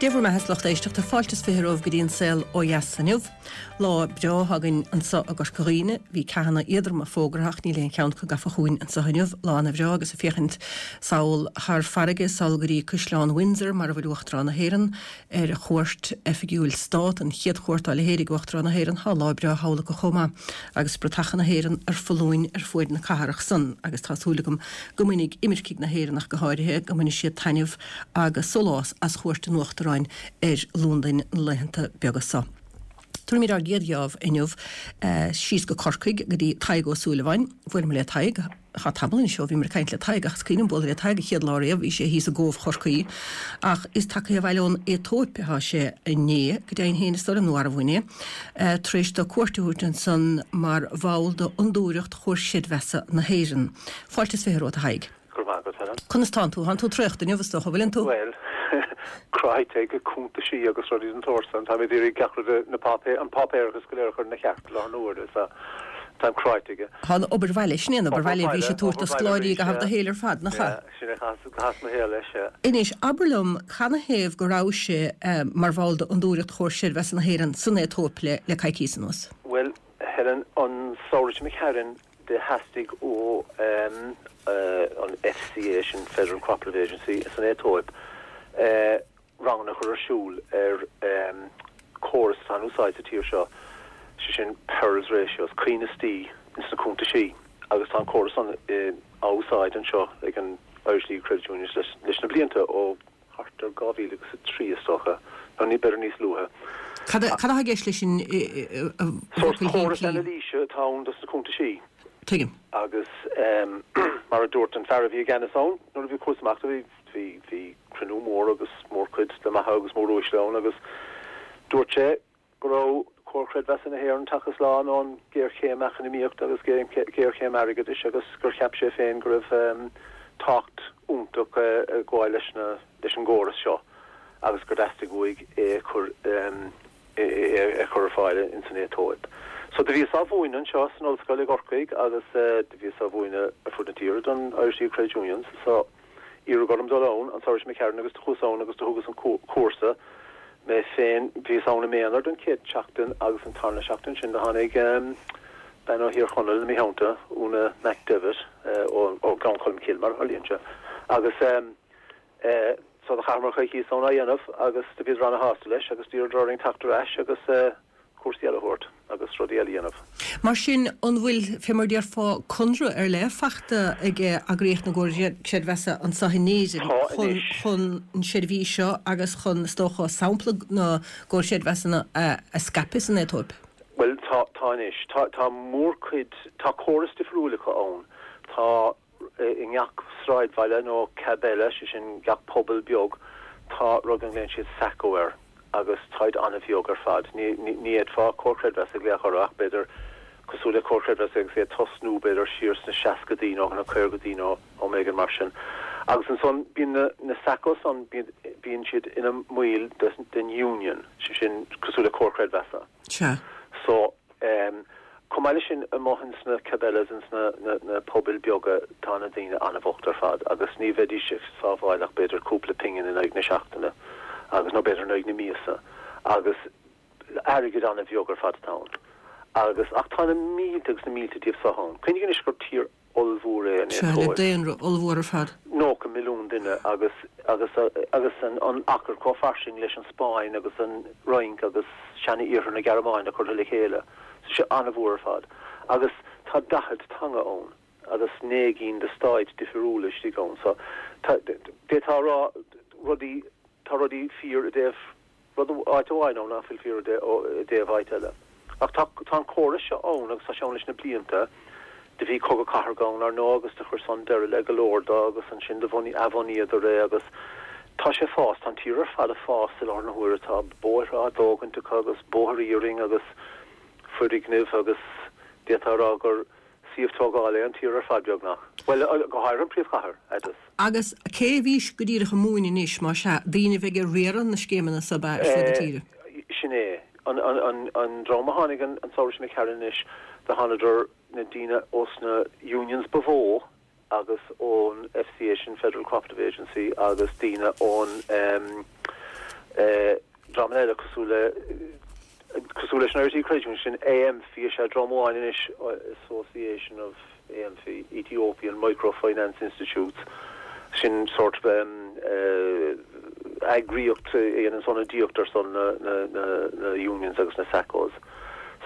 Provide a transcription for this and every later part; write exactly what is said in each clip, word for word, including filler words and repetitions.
Dia bhur mbeatha, lucht éisteachta fáilte is fiche romhaibh go dtí an saol ó dheas inniu. Lá breá againn anseo i gCorca Dhuibhne, bhí ceathanna éadroma fógartha ach níl aon cheann acu gafa chugainn anseo inniu. Lá ana bhreá agus ag féachaint sall thar farraige sall go dtí Caisleán Windsor mar a bhfuil Uachtarán na hÉireann ar chuairt oifigiúil stát, an chéad chuairt dá leithéid ag Uachtarán na hÉireann. Tá lá breá thall acu chomh maith agus bratacha na hÉireann ar foluain ar fuaid na cathrach san agus tá súil agam go mbainfidh imircigh na hÉireann ach go háirithe go mbainfidh siad taitneamh agus sólás as chuairt an Uachtaráin ar Londain na laethanta beaga seo. Tabharfaimid ár gcéad gheábh inniu síos go Corcaigh go dtí Tadhg Ó Súilleabháin. Bhuail mé le Tadhg, tá tamall anois ó bhíomar ag caint le Tadhg ach is cuimhin liom bualadh le Tadhg an chéad lá riamh, bhí sé thíos i gCóbh Chorcaí. Ach is tagtha abhaile ón Aetóip atá sé inné, go deimhin féin is dóigh liom, nó arbh inné, tar éis dó cuairt a thabhairt ansan mar bhall d'Fhondúireacht Chomhar Creidmheasa na hÉireann. Fáilte is fiche romhat, a Thaidhg. Go raibh maith agat, Helen. Conas tánn tú? Tánn tú traochta inniu, is dócha, an bhfuileann tú? Bhuel, cráite ag cuntaisí agus rudaí den tsórt san. Táim ag iarraidh gach rud, na páipéir, an páipéarachas go léir a chur ina cheart i láthair na huaire, so táim cráite aige. Tá an obair bhaile, sin é an obair bhaile a bhís ag tabhairt do scoláirí i gcaitheamh do shaoil ar fad, nach ea? Yeah, sin é, chaitheas mo shaol leis, yeah. Anois, abair liom, canathaobh go rabhais mar bhall d'Fhondúireacht Chomhar Creidmheasa na hÉireann san Aetóip le le coicíos anuas? Bhuel, Helen, an samhradh seo imigh tharainn, do theastaigh ó an FCA, sin Federal Cooperative Agency, san Aetóip, ranganna a chur ar siúl ar córas atá in úsáid sa tír seo, sé sin Perls Ratios, coibhneastaí ins na cuntaisí, agus tá an córas san á úsáid anseo ag an Irish League of Credit Unions leis na blianta ó thart ar dhá mhíle agus a trí is dócha, nó ní, b'fhéidir níos luaithe. Cad atá i gceist leis sin i Sórt bhfocail córas shimplí? anailíse atá ann dos na cuntaisí. Tuigim. Agus mar a dúirt an fear a bhí i gceannas ann nuair a bhí chuas amach, bhí, bhí, bhí cruinniú mór agus mórchuid de maithe agus móruaisle ann agus dúirt sé go raibh Comhar Creidmheasa na hÉireann tagtha slán ón ghéarchéim eacnamaíochta agus géarchéim airgeadais agus gur cheap sé féin go raibh tábhacht iontach ag gabháil leis na leis an gcóras seo agus gur theastaigh uaidh é a chur é a chur ar fáil ins an Aetóip. So do bhíos á mhúineadh anseo san ollscoil i gCorcaigh agus do bhíos á mhúineadh ar fud na tíre don Irish League of Credit Unions so iarradh orm dul ann an samhradh seo imigh tharainn agus do chuas ann agus do thugas an cúrsa mé féin. Bhíos ann i m'aonar don chéad tseachtain agus an tarna seachtain sin do tháinig bean ó Thír Chonaill i mo theannta, Úna McDevitt ó Ghleann Cholm Cille mar a tharlaíonn sé agus so do chaitheamar coicíos ann á dhéanamh agus do bhíodar ana-shásta leis agus d'iarradar orainn teacht ar ais agus cúrsaí eile a thabhairt agus rudaí eile a dhéanamh. Mar sin, an bhfuil, fé mar a déarfá, conradh ar leith fachta ag eagraíocht na gComhar Creidmheasa anseo in Éirinn Tá chun anois. chun an seirbhís seo agus chun, is dócha, sampla na gComhar Creidmheasanna a scaipeadh san Aetóip? Bhuel, tá, tá anois. Tá, tá mórchuid, tá córas difriúil acu ann. Tá. I ngach sráidbhaile nó kebele, sé sin gach pobal beag, tá rud a nglaonn siad Sacco air agus táid an-bheag ar fad. Ní fhéadfá Comhar Creidmheasa a ghlaoch orthu ach b'fhéidir cosúil le Comhar Creidmheasa agus é ag tosnú b'fhéidir siar sna seascadaí nó na caogadaí nó am éigin mar sin. Agus ansan bíonn na na Sacco san bíonn siad ina mbaill den Union, sé sin cosúil le Comhar Creidmheasa. Sea. So. Chomh maith leis sin, amuigh ins na kebeles, ins na na pobail beaga, tá na daoine an-bhocht ar fad agus ní bheidís ag sábháil ach b'fhéidir cúpla pingin in aghaidh na seachtaine agus, nó b'fhéidir in aghaidh na míosa agus airgead an-bheag ar fad atá ann. Agus, ach tá na mílte agus na mílte díobh so ann. Cuimhnigh anois gur tír ollmhór é an Sea, le Aetóip. daonra ollmhór ar fad. Nócha milliún duine agus agus agus an an achar chomh fairsing leis an Spáinn agus an Fhrainc agus seana-iarthar na Gearmáine curtha le chéile. Tá sé an-mhór ar fad. Agus tá daichead teanga ann agus naoi gcinn de stáit difiriúla istigh ann. So tá, d'fhéadfá a rá rudaí, tá rudaí fíor i dtaobh rud áit amháin ann nach bhfuil fíor i dtaobh áit eile. Ach tá tá an córas seo ann agus tá sé ann leis na blianta. Do bhí cogadh cathartha ann, ar ndóigh, agus do chuir san deireadh le go leor de agus ansin do bhunaigh, athbhunaíodar é agus tá sé ag fás, tá an tír ar fad ag fás i láthair na huaire. Tá bóithre á dtógaint acu agus bóthar iarainn agus foirgnimh agus d'fhéadfá a rá gur Suíomh tógála é an tír ar fad, beagnach. Bhuel, go háirithe an príomhchathair, Addis. Agus cé a bhís go díreach ag múineadh anois, más ea, daoine a bheidh ag riaradh na scéimeanna so ab ea ar fud na tíre? Sin é. An dream a tháinig an samhradh seo imigh tharainn anois, do thánadar na daoine ós na unions ba mhó agus ón FCA, sin Federal Cooperative Agency, agus daoine ón Dreamanna eile cosúil le cosúil leis an Irish Credit Union, sin AMFI is ea dream amháin anois, Association of AMFI, Ethiopian Microfinance Institutes, sin sórt eagraíocht a dhéanann ionadaíocht ar son na na na na unions agus na SACCOs.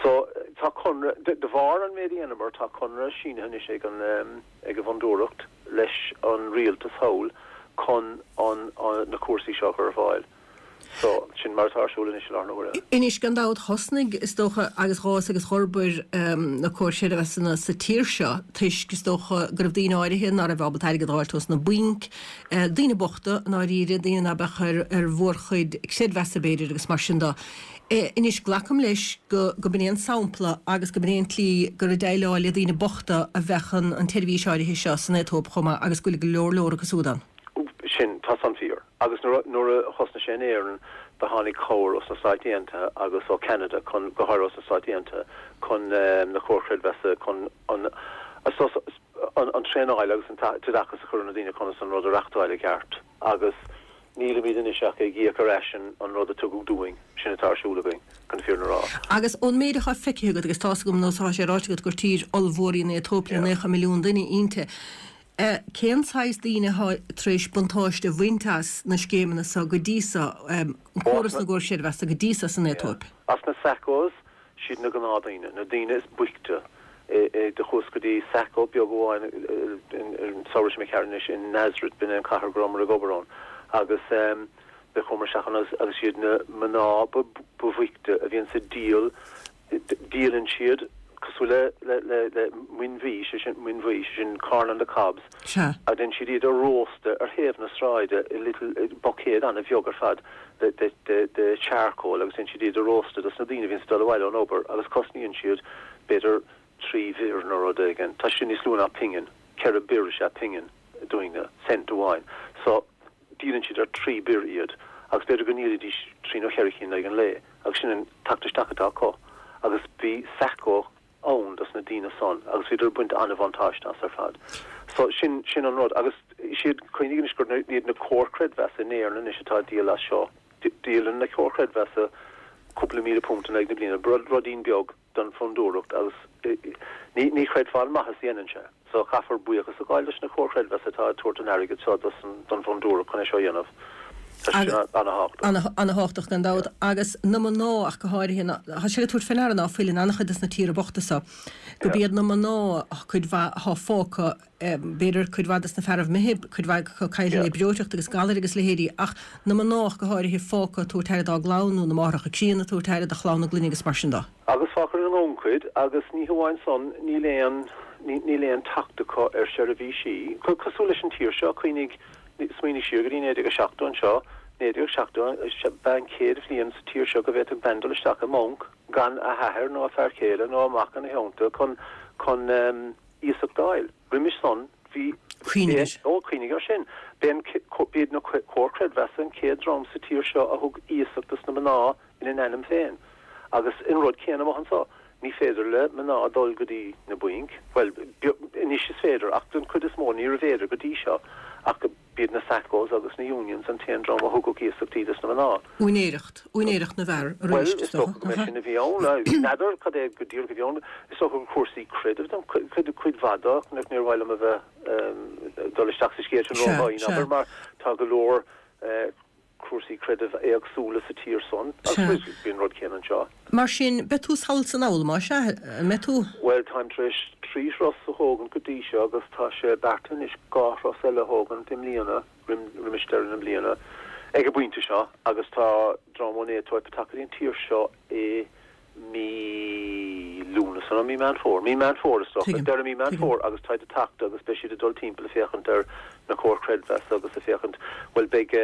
So tá conradh, de bharr an méid a dhéanamar, tá conradh sínithe anois ag an ag an bhfondúireacht leis an rialtas thall chun an na cúrsaí seo a chur ar fáil. So, sin mar atá ar siúl anois i láthair na huaire. Anois, gan dabht, thosnaigh, is dócha, agus dh'fhás agus dh'fhorbair na comhair chreidmheasa sa tír seo toisc, is dócha, go raibh daoine áirithe ná raibh ábalta airgead a fháilt ós na bainc, daoine bochta, i ndáiríre, daoine ná beadh ar ar mhórchuid creidmheasa, b'fhéidir, agus mar sin de. Anois, glacaim leis go go b'in é an sampla agus go b'in é an tslí gur ag déileáil le daoine bochta a bheadh an an tseirbhís áirithe seo san Aetóip chomh maith agus go bhfuil go leor leor acu siúd ann. Sin, tá san fíor. Agus nuair nuair a thosnaigh sé in Éirinn, do tháinig cabhair os na Stáit Aontaithe agus ó Ceanada chun, go háirithe os na Stáit Aontaithe, chun na comhair chreidmheasa, chun an an an traenáil agus an t-oideachas a chur ar na daoine conas an rud a reachtáil i gceart. Agus nílimid anois ach ag íoc ar ais an an rud a tugadh dúinn, sin atá ar siúl againn, chun an fírinne a rá. Agus ón méid atá feicthe agat, agus tá's agam nó tá sé ráite agat gur tír ollmhór í an Aetóip le naocha milliún duine inti, Cén saghas daoine atá tar éis buntáiste a bhaint as na scéimeanna seo go dtí seo, córas na gcomhar creidmheasa go dtí seo san Aetóip? As na SACCOs, siad na gnáthdhaoine, na daoine is boichte. Do chuas go dtí SACCO beag amháin an samhradh seo imigh tharainn anois in Nazareth, b'in é an cathair go rabhamar ag obair ann, agus do chuamar isteach ann agus siad na mná ba bhoichte a bhíonns ag díol, Díolann siad, cosúil le, le, le, le muin bhuí, sé sin, muin bhuí, sé sin corn on the cobs, Sea. a déanann siad iad a róstadh ar thaobh na sráide i little, i buicéad an-bheag ar fad de, de, de, de charcoal agus déanann siad iad a róstadh dos na daoine a bhíonns ag dul abhaile ón obair agus cosnaíonn siad b'fhéidir trí bhirr nó rud éigin. Tá sin níos lú ná pingin, ceithre birr is ea pingin dúinne, cent amháin. So, díolann siad ar trí birr iad agus b'fhéidir go ndíolfaidís trí nó cheithre cinn in aghaidh an lae agus sin an teacht isteach atá acu agus bhí SACCO ann dos na daoine san agus bhíodar ag baint an-bhuntáiste as ar fad. So sin, sin an rud agus siad, cuimhnigh anois gur iad na comhair creidmheasa in Éirinn anois atá ag díol as seo. Díolann na comhair creidmheasa cúpla míle punt in aghaidh na bliana, ruidín beag don Fhondúireacht agus ní, ní chreidfeá an maitheas a dhéanann sé. So caithfear buíochas a ghabháil leis na comhair chreidmheasa atá ag tabhairt an airgid seo don Fhondúireacht chun é seo a dhéanamh. Tá sé sin ana-thábhachtach. Ana-thábhachtach gan dabht. Agus na mná ach go háirithe, tá sé le tabhairt fé ndeara ná fuil in an-chuid des na tíortha bochta so, gurb iad na mná cuid mhaith athá fágtha, b'fhéidir cuid mhaith des na fearaibh imithe, cuid mhaith acu caillte le breoiteacht agus galair agus leithéidí, ach na mná ach go háirithe fágtha ag tabhairt aire dá gclann nó na máithreacha críonna ag tabhairt aire do chlann na gclainne agus mar sin de. Agus fágtar ina ngannchuid agus ní hamháin san, níl aon, níl aon teacht acu ar sheirbhísí. Cosúil leis an tír seo, cuimhnigh, smaoinigh siar go dtí naoi déag a seachtó anseo, naoi déag seachtó, ba an chéad bhliain sa tír seo go bhféadfadh bean dul isteach i mbanc gan a hathair nó a fear céile nó a mac ina theannta chun, chun iasacht d'fháil. Roimis san, bhí, Cuimhnigh air. Ó, cuimhnigh air sin. B'é an, b'iad na comhair creidmheasa an chéad dream sa tír seo a thug iasacht dos na mná ina n-ainm féin. Agus an rud céanna amuigh anso, ní féidir le mná dul go dtí na bainc, bhuel, anois is féidir, ach don chuid is mó níorbh fhéidir go dtí seo, ach b'iad na SACCOs agus na Unions an t-aon dream a thugadh iasachtaí dos na mná. Úinéireacht, úinéireacht na bhfear Bhuel, arís, is is dócha, dócha go nach mb'é ea? sin a bhí ann. N'fheadar cad é go díreach a bhí ann. Is dócha gur cúrsaí creidimh don chuid, cuid mhaith de, ach níor mhaith liom a bheith, dul isteach sa scéal sin Sea, ródhomhain, sea. abair, mar tá go leor cúrsaí creidimh éagsúla sa tír san, agus bíonn an rud céanna anseo. Mar sin, beidh tú sall 's anall, más ea, an mbeidh tú? Bhuel, táim tar éis trí thuras a thógaint go dtí seo agus tá sé beartaithe anois dhá thuras eile a thógaint i mbliana, roimis deireadh na bliana, ag an bpointe seo, agus tá dream ón Aetóip ag teacht go dtí an tír seo i mí Lúnasa nó mí Meán Fómhair, mí Meán Fómhair is dócha, Tuigim. deireadh mí Meán Tuigim. Fómhair agus táid ag teacht agus beidh siad ag dul timpeall ag féachaint ar na comhair chreidmheasa agus ag féachaint, bhuel beidh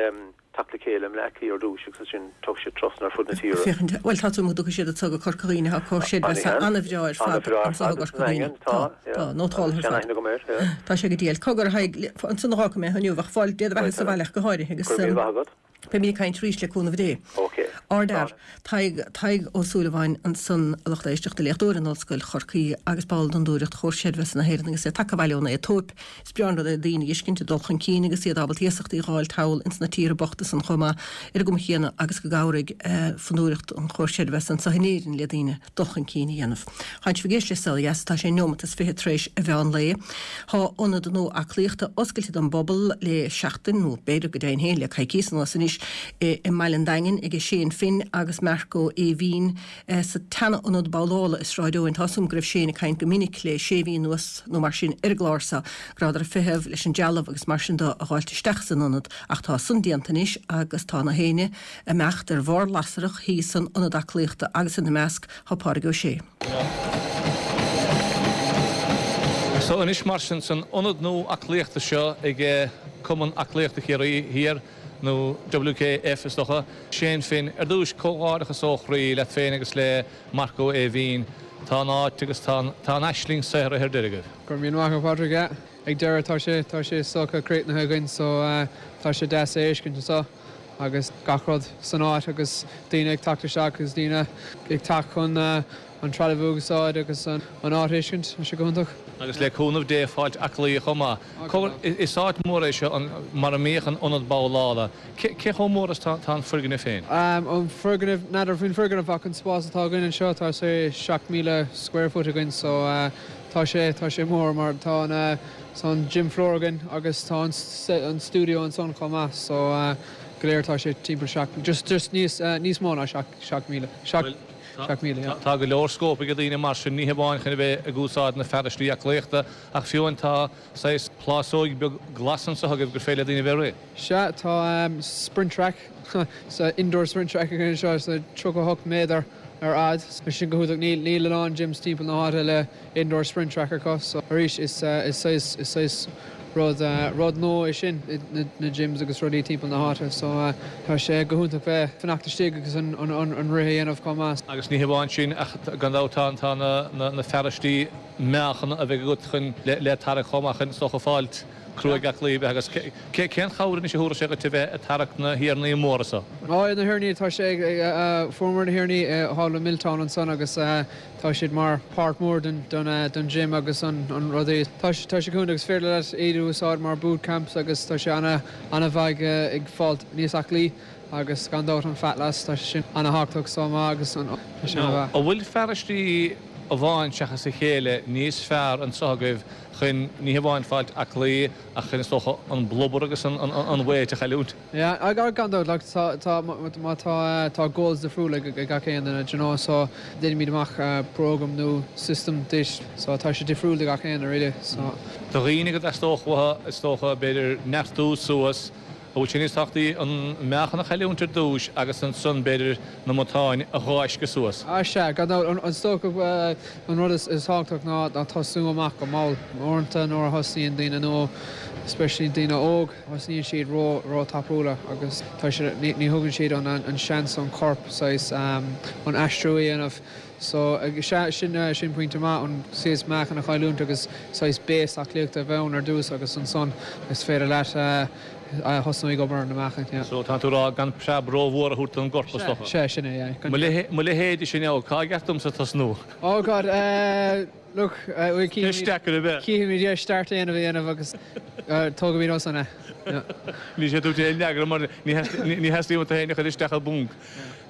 teacht le chéile i mBleá Cliath ar dtúis agus ansin tiocfaidh siad trasna ar fud na tíre. Féachaint, bhuel tá súil agam go dtiocfaidh siad anso go Corca Dhuibhne, tá comhar An creidmheasa ea? an-bhreá ar fad An-bhreá ar anso i fad gCorca san Dhuibhne. Daingean, Tá, tá, yeah. tá, nótáltha ar fad. Seanaithne agam air, yeah. Tá sé go diail. Cogar a Thaidhg, ansan a dh'fhágfaidh mé inniu ach fáilte do Bhuel, bheatha sa bhaile ach go háirithe agus Go raibh míle maith agat. beimid ag caint arís le cúnamh Dé. Ok. Ardfhear, Tadhg, Tadhg Ó Súilleabháin ansan, a lucht éisteachta, léachtóir in Ollscoil Chorcaí agus ball d'Fhondúireacht Chomhar Creidmheasa na hÉireann agus é tagtha abhaile ón Aetóip. Is breá an rud é daoine a fheiscint ag dul chun cinn agus iad ábalta iasachtaí a dh'fháil thall ins na tíortha bochta san chomh maith ar an gcuma chéanna agus go gcabhraigh Fondúireacht an Chomhar Creidmheasa anso in Éirinn le daoine dul chun cinn a dhéanamh. Tánn sibh ag éisteacht le Saol Ó Dheas, tá sé neomat is fiche tar éis a mheán lae. Thá ionad nua aclaíochta oscailte don bpobal le seachtain, nó b'fhéidir go deimhin féin le coicíos anuas anois, i mbaile an Daingin ag Shane Finn agus Marco Aoibhín sa tseana-ionad babhlála i Sráid Eoin. Tá 'fhios a'm go raibh Shane ag caint go minic le sé mhí anuas nó mar sin ar an gclár seo, go rabhadar ag feitheamh leis an dealbh agus mar sin de a dh'fháilt isteach san ionad ach tá san déanta anois agus tá na héinne ag imeacht ar bharr lasrach thíos san ionad aclaíochta agus ina measc thá Pádraig Ó Sé. So anois mar sin san ionad nua aclaíochta seo ag Cumann Aclaíochta Chiarraí Thiar, nó WKF is dócha, Shane Finn, ar dtús, comhghairdeachas ó chroí leat féin agus le Marco Aoibhín. Tá an áit agus tá an aisling saothraithe ar deireadh agaibh. Go raibh míle maith agat, Pádraig. Yeah, ag deireadh tá sé, tá sé is dócha críochnaithe againn so tá sé deas é a fheiscint anseo agus gach rud san áit agus daoine ag teacht isteach agus daoine ag teacht chun an trealamh a úsáid agus an áit a fheiscint, tá sé go hiontach. Agus le cúnamh Dé fáilt aclaí chomh maith. Is áit mhór é seo mar a mbíodh an ionad babhlála. Cé chomh mór is tá an foirgneamh féin? An foirgneamh, n'fheadar faoin foirgneamh ach an spás atá againn anseo tá sé seacht míle square foot againn so tá sé, tá sé mór mar tá an, tá an gym floor againn agus tá an stiúideo ansan chomh maith so go léir tá sé timpeall seacht, just, just níos, níos mó ná seacht míle, seacht, seacht míle, yeah. Tá go leor scóip ag daoine mar sin, ní hamháin chun a bheith ag úsáid na fearaistí aclaíochta ach fiú amháin tá saghas plásóig beag glas anseo agaibh gur féidir le daoine a bheith ag rith. Sea, tá sprint track, so indoor sprint track againn anseo, so tríocha a hocht méadar ar fhad. Tá sin go hiontach, níl níl a lán gyms timpeall na háite le indoor sprint track acu, so arís is is saghas is saghas rud rud nua é sin i na gyms agus rudaí timpeall na háite, so tá sé go hiontach bheith fanacht istigh agus an an an rith a dhéanamh chomh maith. Agus ní hamháin sin ach gan dabht tá tá na na na fearaistí meáchana a bheidh agat chun le le tarrac chomh maith chun is dócha fáilt cruaidh aclaí a bheith agus cé cén chabhair anois a thabharfas sé dhuit a bheith ag tarrac na thiarnaí móra so? Á na thiarnaí tá sé ag fuaireamar na thiarnaí thall i Milltown ansan agus tá siad mar páirt mór den den gym agus an an rudaí. Tá sé tá sé go hiontach agus féidir leat iad a úsáid mar boot camps agus tá sé ana ana-mhaith ag fáilt níos aclaí agus gan dabht an fat loss tá sé sin ana-thábhachtach so maith agus an tá sé ana-mhaith. An bhfuil fearaistí amháin seachas a chéile níos fearr anseo agaibh chun ní hamháin fáilt aclaí ach chun is dócha an blubber agus an an weight a chailliúint? Yeah, gan dabht, like tá tá má tá tá goals difriúla ag gach aon duine, do you know, so déanaimid amach program nó system duit, so tá sé difriúil do gach aon duine really, so. Do dhaoine go dteastódh uathu is dócha b'fhéidir neartú suas, An bhfuil sé níos tábhachtaí an meáchan a chailliúint ar dtús agus ansan b'fhéidir na matáin a dh'fháisceadh suas? Á sea, gan dabht. Is dócha an rud is tábhachtach ná tosnú amach go mall. Uaireanta nuair a thosnaíonn daoine nua, especially daoine óg, thosnaíonn siad ró ró tapúla agus tá siad ní ní thugann siad an an seans don chorp saghas an aistriú a dhéanamh. So sea, sin sin pointe maith, an saghas meáchan a chailliúint agus saghas base aclaíochta a bheith ann ar dtús agus ansan is féidir leat thosnú ag obair ar na meáchain, yeah. So tá tú ag rá gan preab rómhór a thabhairt don gcorp is dócha? Sea, sin é, yeah. Mo leithéide sin now, cá gceart domsa tosnú? Oh God, eh, look, eh, Ceist deacair ab ea? Cífimid, yeah, start a dhéanamh a dhéanamh agus tógfaimid ó san é, yeah. Ní sé tú aon fhreagra mar ní theastaíonn uait tú féin a chur isteach i bponc.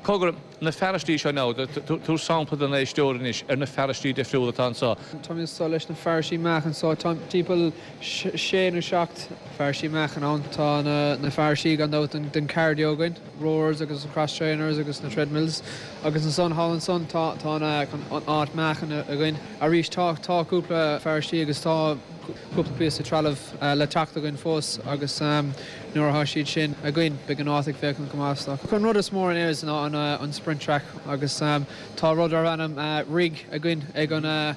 Cogar, na fearaistí seo now, tabhair sampla don éisteoir anois ar na fearaistí difriúla atá anseo. Táimid anseo leis na fearaistí meáchain so tá timpeall sé nó seacht fearaistí meáchain ann. Tá na fearaistí gan dabht don cardio againn, rowers agus cross trainers agus na treadmills agus ansan thall ansan tá tá an áit meáchain againn. Arís tá tá cúpla fearaistí agus tá cúpla píosa trealamh le teacht againn fós agus nuair atá siad sin againn beidh an áit ag féachaint go maith. An rud is mór in Éirinn ná an sprint track agus tá rud darb ainm rig againn ag an an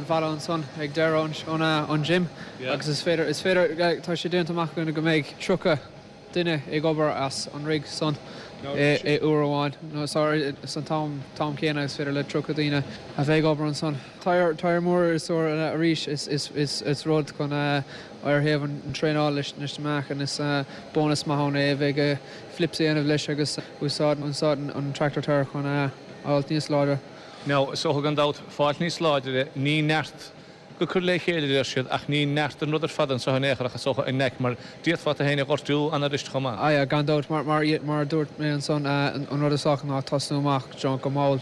bhalla ansan ag deireadh an gym agus is féidir, is féidir, tá sé déanta amach againn go mbeidh tríocha duine ag obair as an rig san é uair amháin no sorry san t-am t-am céanna is féidir le tríocha daoine a bheith ag obair ansan. Tyre mór is arís is is is is rud chun ar thaobh an traenáil leis leis na meáchan is bónas maith ann é a bheith ag flips a dhéanamh leis agus úsáid úsáid an tractor tire chun a fháilt níos láidre. Now is dócha gan dabht fáilt níos láidre ní neart go cur le chéile a deir siad ach ní neart an rud ar fad anseo in aon chor ach is dócha an neck mar d'fhéadfá tú féin a ghortú an-fhuirist chomh maith. Ah yeah, gan dabht mar mar mar a dúirt mé ansan an rud is dócha ná tosnú amach go mall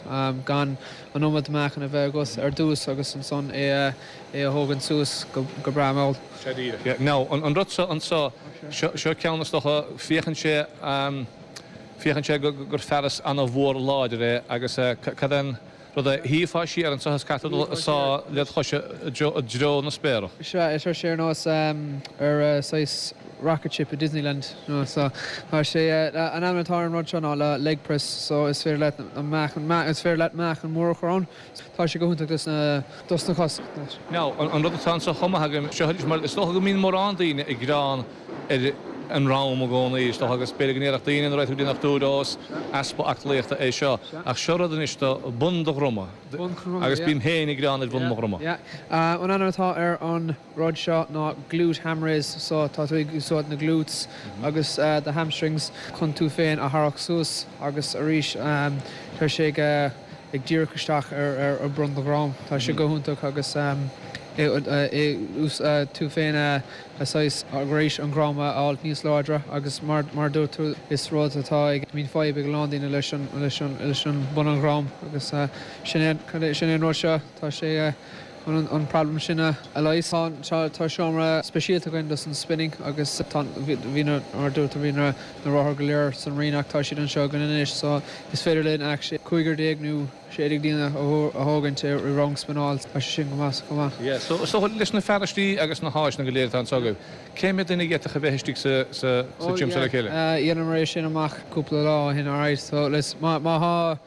gan an iomad meáchan a bheith agat ar dtús agus ansan é é a thógaint suas go go breá mall. Sea díreach, yeah. Now an rud seo anseo seo seo ceann is dócha féachann sé féachann sé gur fearas an-mhór láidir é agus cad é an Rud a shuífeá siar anseo is caithfidh tú dul ag sá le do chois i dtreo na spéire. Sea, tá sé ar nós ar saghas rocket ship i Disneyland nó so tá sé an ainm atá ar an rud seo ná le leg press so is féidir leat an meáchan is féidir leat meáchan mór a chur ann. Tá sé go hiontach dos na dos na cos. Now, an rud atá anseo chomh maith agam seo arís mar is dócha go mbíonn mórán daoine ag gearán ar an ndroim i gcónaí, is dócha, agus b'fhéidir go ndéarfadh daoine nuair atá tú ag déanamh dúdós, easpa aclaíochta é seo. Ach seo rud anois do bun do dhroma, agus bím féin ag gearán ar bhun mo dhroma. Yeah. An ainm atá ar an rud seo ná glute ham raise, so tá tú ag úsáid na glutes agus the hamstrings chun tú féin a tharrac suas agus arís tá sé ag ag díreach isteach ar ar bun do dhrom. Tá sé go hiontach agus tú féin a saghas arís an drom a fháilt níos láidre agus mar mar dúirt tú is rud atá ag bíonn fadhb ag a lán daoine leis an leis an leis an bun an dhrom agus sin é sin é an rud seo tá sé chun an problem sin a leigheas. Tá tá seomra speisialta againn dos an spinning agus tá bhí na mar dúirt tú bhí na na rothair go léir san Rinn ach tá siad anseo againn anois so is féidir linn actually cúigear déag nó sé déag daoine a thógaint i rang spinneáil, tá sé sin go maith chomh maith. Yeah, so so leis na fearaistí agus na háiseanna go léir atá anseo agaibh, cé mhéad duine a d'fhéadfadh a bheith istigh sa sa sa gym seo le chéile? Oh yeah, dheineamar é sin amach cúpla lá ó shin, alright, so leis má má thá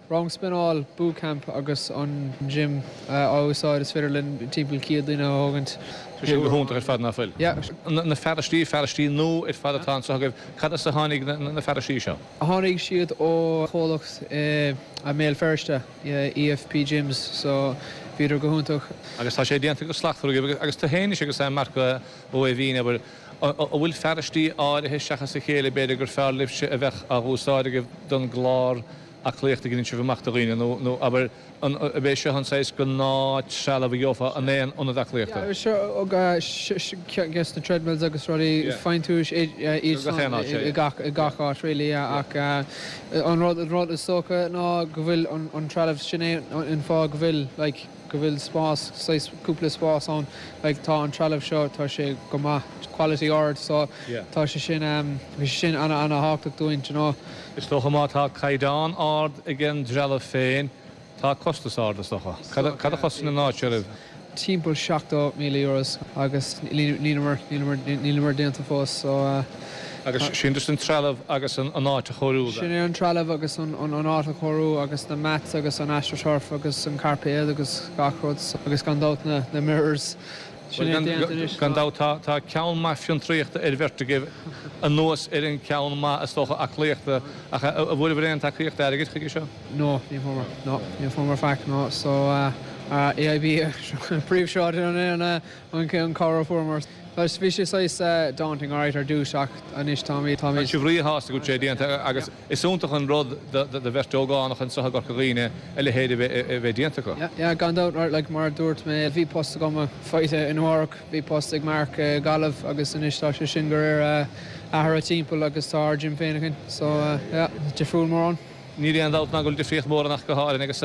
rang spinneáil, bootcamp agus an gym á úsáid is féidir linn timpeall céad duine a thógaint. Tá sin go hiontach ar fad, ná fuil? Yeah. Na fearaistí, fearaistí nua ar fad atá anseo agaibh, cad as a tháinig na fearaistí seo? Tháinig siad ó chomhlacht i mBéal Feirste, EFP Gyms, so bhíodar go hiontach. Agus tá sé déanta go slachtmhar agaibh agus tú féin anois agus Marc Ó hAoibhín, abair, an bhfuil fearaistí áirithe seachas a chéile b'fhéidir gur fearr libhse a bheadh á úsáid agaibh don gclár aclaíochta a dheineann sibh amach do dhaoine nó, nó abair, an, ab é seo an saghas gnáth-trealamh a gheofá in aon ionad aclaíochta? Yeah, sure, guess na treadmills agus rudaí, faigheann tú iad san i gach, i gach áit really, yeah, ach an rud, an rud is dócha ná go bhfuil an, an trealamh, sin é an fáth go bhfuil, like, go bhfuil spás, saghas cúpla spás ann, like tá an trealamh seo, tá sé go maith, quality ard, so tá sé sin, bhí sé sin ana, ana thábhachtach dúinn, do you know. Is dócha má tá caighdeán ard ag an dtrealamh féin, tá costas ard, is dócha. Cad a chosain an áit seo oraibh? Timpeall seachtó míle euros agus níleamar, níleamar, níleamar déanta fós, so. Agus sin just an trealamh agus an áit a chóiriú then? Sin é an trealamh agus an áit a chóiriú agus na mats agus an astroturf agus an cairpéad agus gach rud agus gan dabht na mirrors. Sin é déanta anois. Gan dabht tá ceann maith fiontraíochta ar bheirt agaibh anuas ar an ceann maith is dócha aclaíochta ach an bhfuaireabhair aon tacaíocht airgid chuige seo? No, ní fuaireamar. No, ní fuaireamar faic, no. So AIB príomhshráid an cabhair a fuaireamar. Bhí sé saghas daunting alright ar dtús ach anois táimid, táimid. Tá sibh ríshásta go bhfuil sé déanta agus is iontach an rud do bheirt ógánach anseo i gCorca Dhuibhne a leithéid a bheith déanta acu. Yeah, yeah, gan dabht, like mar a dúirt mé, bhí post agam faighte i Nua Eabhrac, bhí post ag Mark i Gaillimh agus anois tá sé sin go léir athraithe timpeall agus tá ár gym féin againn so yeah, difriúil mórán. Níl aon dabht ná go bhfuil difríocht mhór ann ach go háirithe agus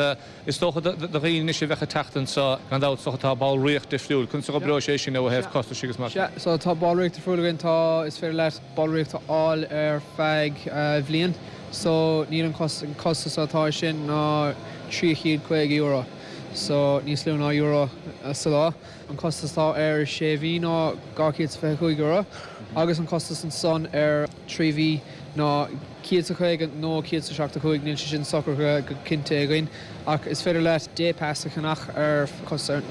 is dócha do dhaoine anois a bheadh ag teacht anseo, gan dabht, is dócha tá ballraíocht difriúil. Conas a oibreoidh sé sin ó thaobh costais agus mar sin? Sea, so tá ballraíocht difriúil againn, tá, is féidir leat ballraíocht a fháil ar feadh bhliain so níl an costas atá air sin ná trí chéad caoga euro so níos lú ná euro sa lá. An costas atá ar sé mhí ná dhá chéad is fiche cúig euro agus an costas ansan ar trí mhí ná céad is caoga nó céad is seachtó cúig níl sé sin socair go cinnte againn ach is féidir leat day pass a cheannach ar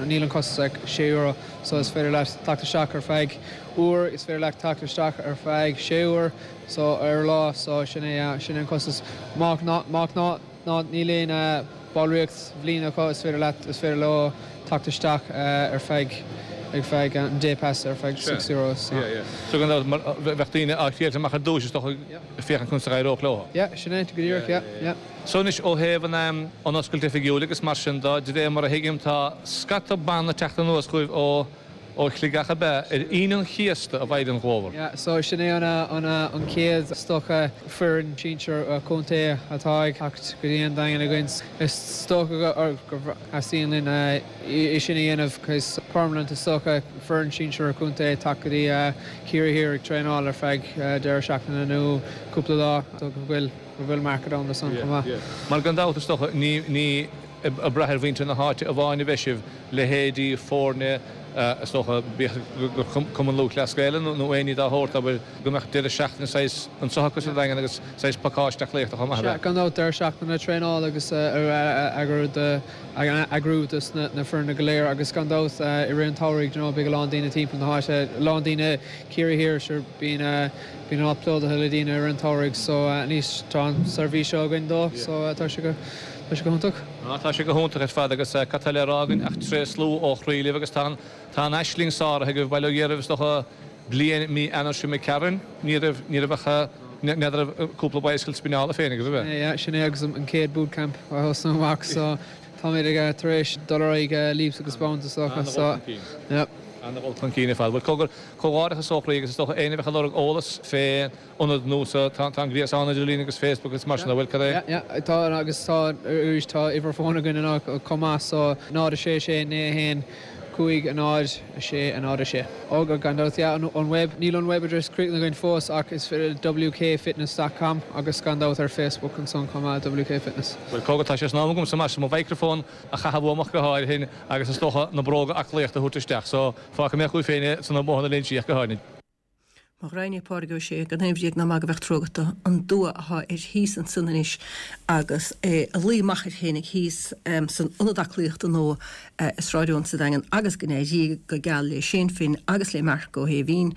níl an costas ach sé euro so is féidir leat teacht isteach ar feadh uair is féidir leat teacht isteach ar feadh sé uair so ar lá so sin é sin an costas má ná má ná ná níl aon ballraíocht bhliain acu is féidir leat is féidir leo teacht isteach ar feadh ag feadh an day pass ar feadh six euro. So gan bheadh daoine á thriail amach ar dtús is dócha féachaint conas a éireodh leo. Yeah, sin é go díreach, yeah, yeah. So anois ó thaobh an an oscailt oifigiúil agus mar sin de de réir mar a thuigim tá scata banna teacht anuas chugaibh ó ó Shligeach ab ea ar Aoine an Chéasta a bheidh an glómhar. Yeah, so sin é an an an chéad is dócha foireann sinsir contae atá ag teacht go dtí an Daingean againn. Is dócha go theastaíonn linn é sin a dhéanamh cos permanent is dócha foireann sinsir contae teacht go dtí Ciarraí Thiar ag traenáil ar feadh deireadh seachtaine nó cúpla lá so go bhfuil go bhfuil market ann do san chomh maith. Mar gan dabht is dócha ní ní ag brath ar mhuintir na háite amháin a bheidh sibh, leithéidí foirne is dócha bíodh gur Cumann Lúthchleas Gael nó aon ní dá shórt, abair, go mbeadh deireadh seachtaine saghas anseo acu sa Daingean agus saghas pacáiste aclaíochta chomh maith. Sea, gan dabht, deireadh seachtaine traenála agus eagrú eagrú dos na foirne go léir agus gan dabht i rith an tsamhraidh, you know, beidh a lán daoine timpeall na háite, a lán daoine Ciarraí Thiar, sure, bíonn bíonn an áit plódaithe le daoine i rith an tsamhraidh so anois tá an seirbhís seo againn dó so tá sé go Tá sé go hiontach. Á, tá sé go hiontach ar fad agus cad tá le rá againn ach tréaslú ó chroí libh agus tá an, tá an aisling sáraithe agaibh, bail ó Dhia oraibh is dócha bliain mí Eanáir seo imigh tharainn, ní raibh, ní raibh ach, n'fheadar raibh cúpla bicycle spineála féin agaibh, ab ea? Yeah, sin é agus an chéad bootcamp a thosnú amach so táimid ag tar éis dul ar aghaidh leaps agus bounds is dócha so, yeah. An-dhul chun cinn ar fad. Bhuel, cogar, comhghairdeachas ó chroí agus is dócha éinne a bheadh ag lorg eolas fé ionad nua so, tá an gréasán idirlín agus Facebook agus mar sin, an bhfuil, cad é? Yeah, yeah, tá agus tá arís tá uimhir fóin againn anois chomh maith so náid a sé sé naoi a haon cúig a náid a sé a náid a sé. Ó gan dabht, yeah, an web, níl an web address críochnaithe againn fós ach is féidir wkfitness dot com agus gan dabht ar Facebook ansan chomh maith, WK Fitness. Bhuel, cogar, tá sé san am agamsa mar sin mo mhicreafón a chaitheamh uaim ach go háirithe agus is dócha na bróga aclaíochta a thabhairt isteach so fágfaidh mé chugaibh féin é sna modhanna léinsí ach go háirithe. Mo ghraidhin é Pádraig Ó Sé, gan aon bhréag ná magadh bheadh trua agat dó, an dua athá air thíos ansan anois agus é a luí amach air fhéinig thíos san ionad aclaíochta nua i Sráid Eoin sa Daingean agus go n-éirí go geal le Shane Finn agus le Marc Ó hAoibhín.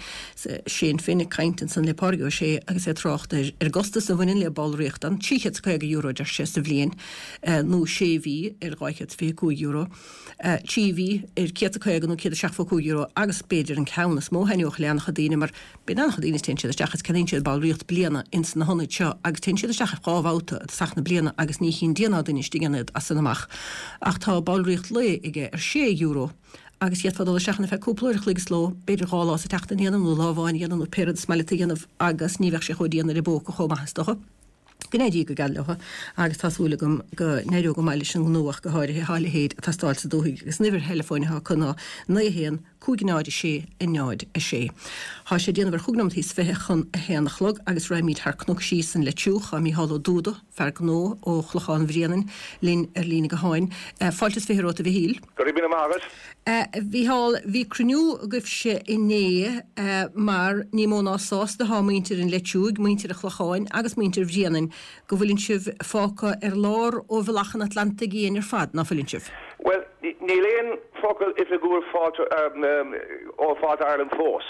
Shane Finn ag caint ansan le Pádraig Ó Sé agus é ag trácht ar an gcostas a bhaineann le ballraíocht ann, trí chéad is caoga euro, deir sé, sa bhliain, nó sé mhí ar dhá chéad is fiche cúig euro, trí mhí ar céad is caoga nó céad is seachtó cúig euro agus b'fhéidir an ceann is mó a thaitneodh le an-chuid daoine mar bíonn an-chuid daoine téann siad isteach agus ceannaíonn siad ballraíocht bliana ins na hionaid seo agus téann siad isteach dhá bhabhta i dtosach na bliana agus ní chíonn Dia ná duine istigh ann iad as san amach ach tá ballraíocht lae aige ar sé euro agus d'fhéadfá dul isteach ann ar feadh cúpla uair a chloig sa ló, b'fhéidir dhá lá sa tseachtain a dhéanamh nó lá amháin a dhéanamh nó pé rud is maith leat a dhéanamh agus ní bheadh sé chomh dian ar an bpóca chomh maith is dócha. Go n-éirí go geal leo agus tá súil agam go n-éireoidh go maith leis an ngnó ach go háirithe thá a leithéid ag teastáil sa dúthaigh agus an uimhir theileafóin atá acu ná naoi a haon, cúig náid a sé, a náid a sé. Thá sé ag déanamh ar chúig nóiméad is fiche chun a haon a chlog agus raghaimid thar cnoc síos an Leitriúch. Thá Mícheál Ó Dúda, fear gnó ó Chlochán Bhréanainn, linn ar líne gutháin. Fáilte is fiche romhat a Mhichíl. Go raibh míle maith agat. A Mhícheáil, bhí cruinniú agaibhse inné mar ní mó ná sásta athá muintir an Leitriúigh, muintir an Chlocháin agus muintir Bhréanainn go bhfuileann sibh fágtha ar lár ó bhealach an Atlantaigh Fhiáin ar fad, ná fuileann sibh? Bhuel, níl aon focal oifigiúil faighte ó Fáilte Ireland fós.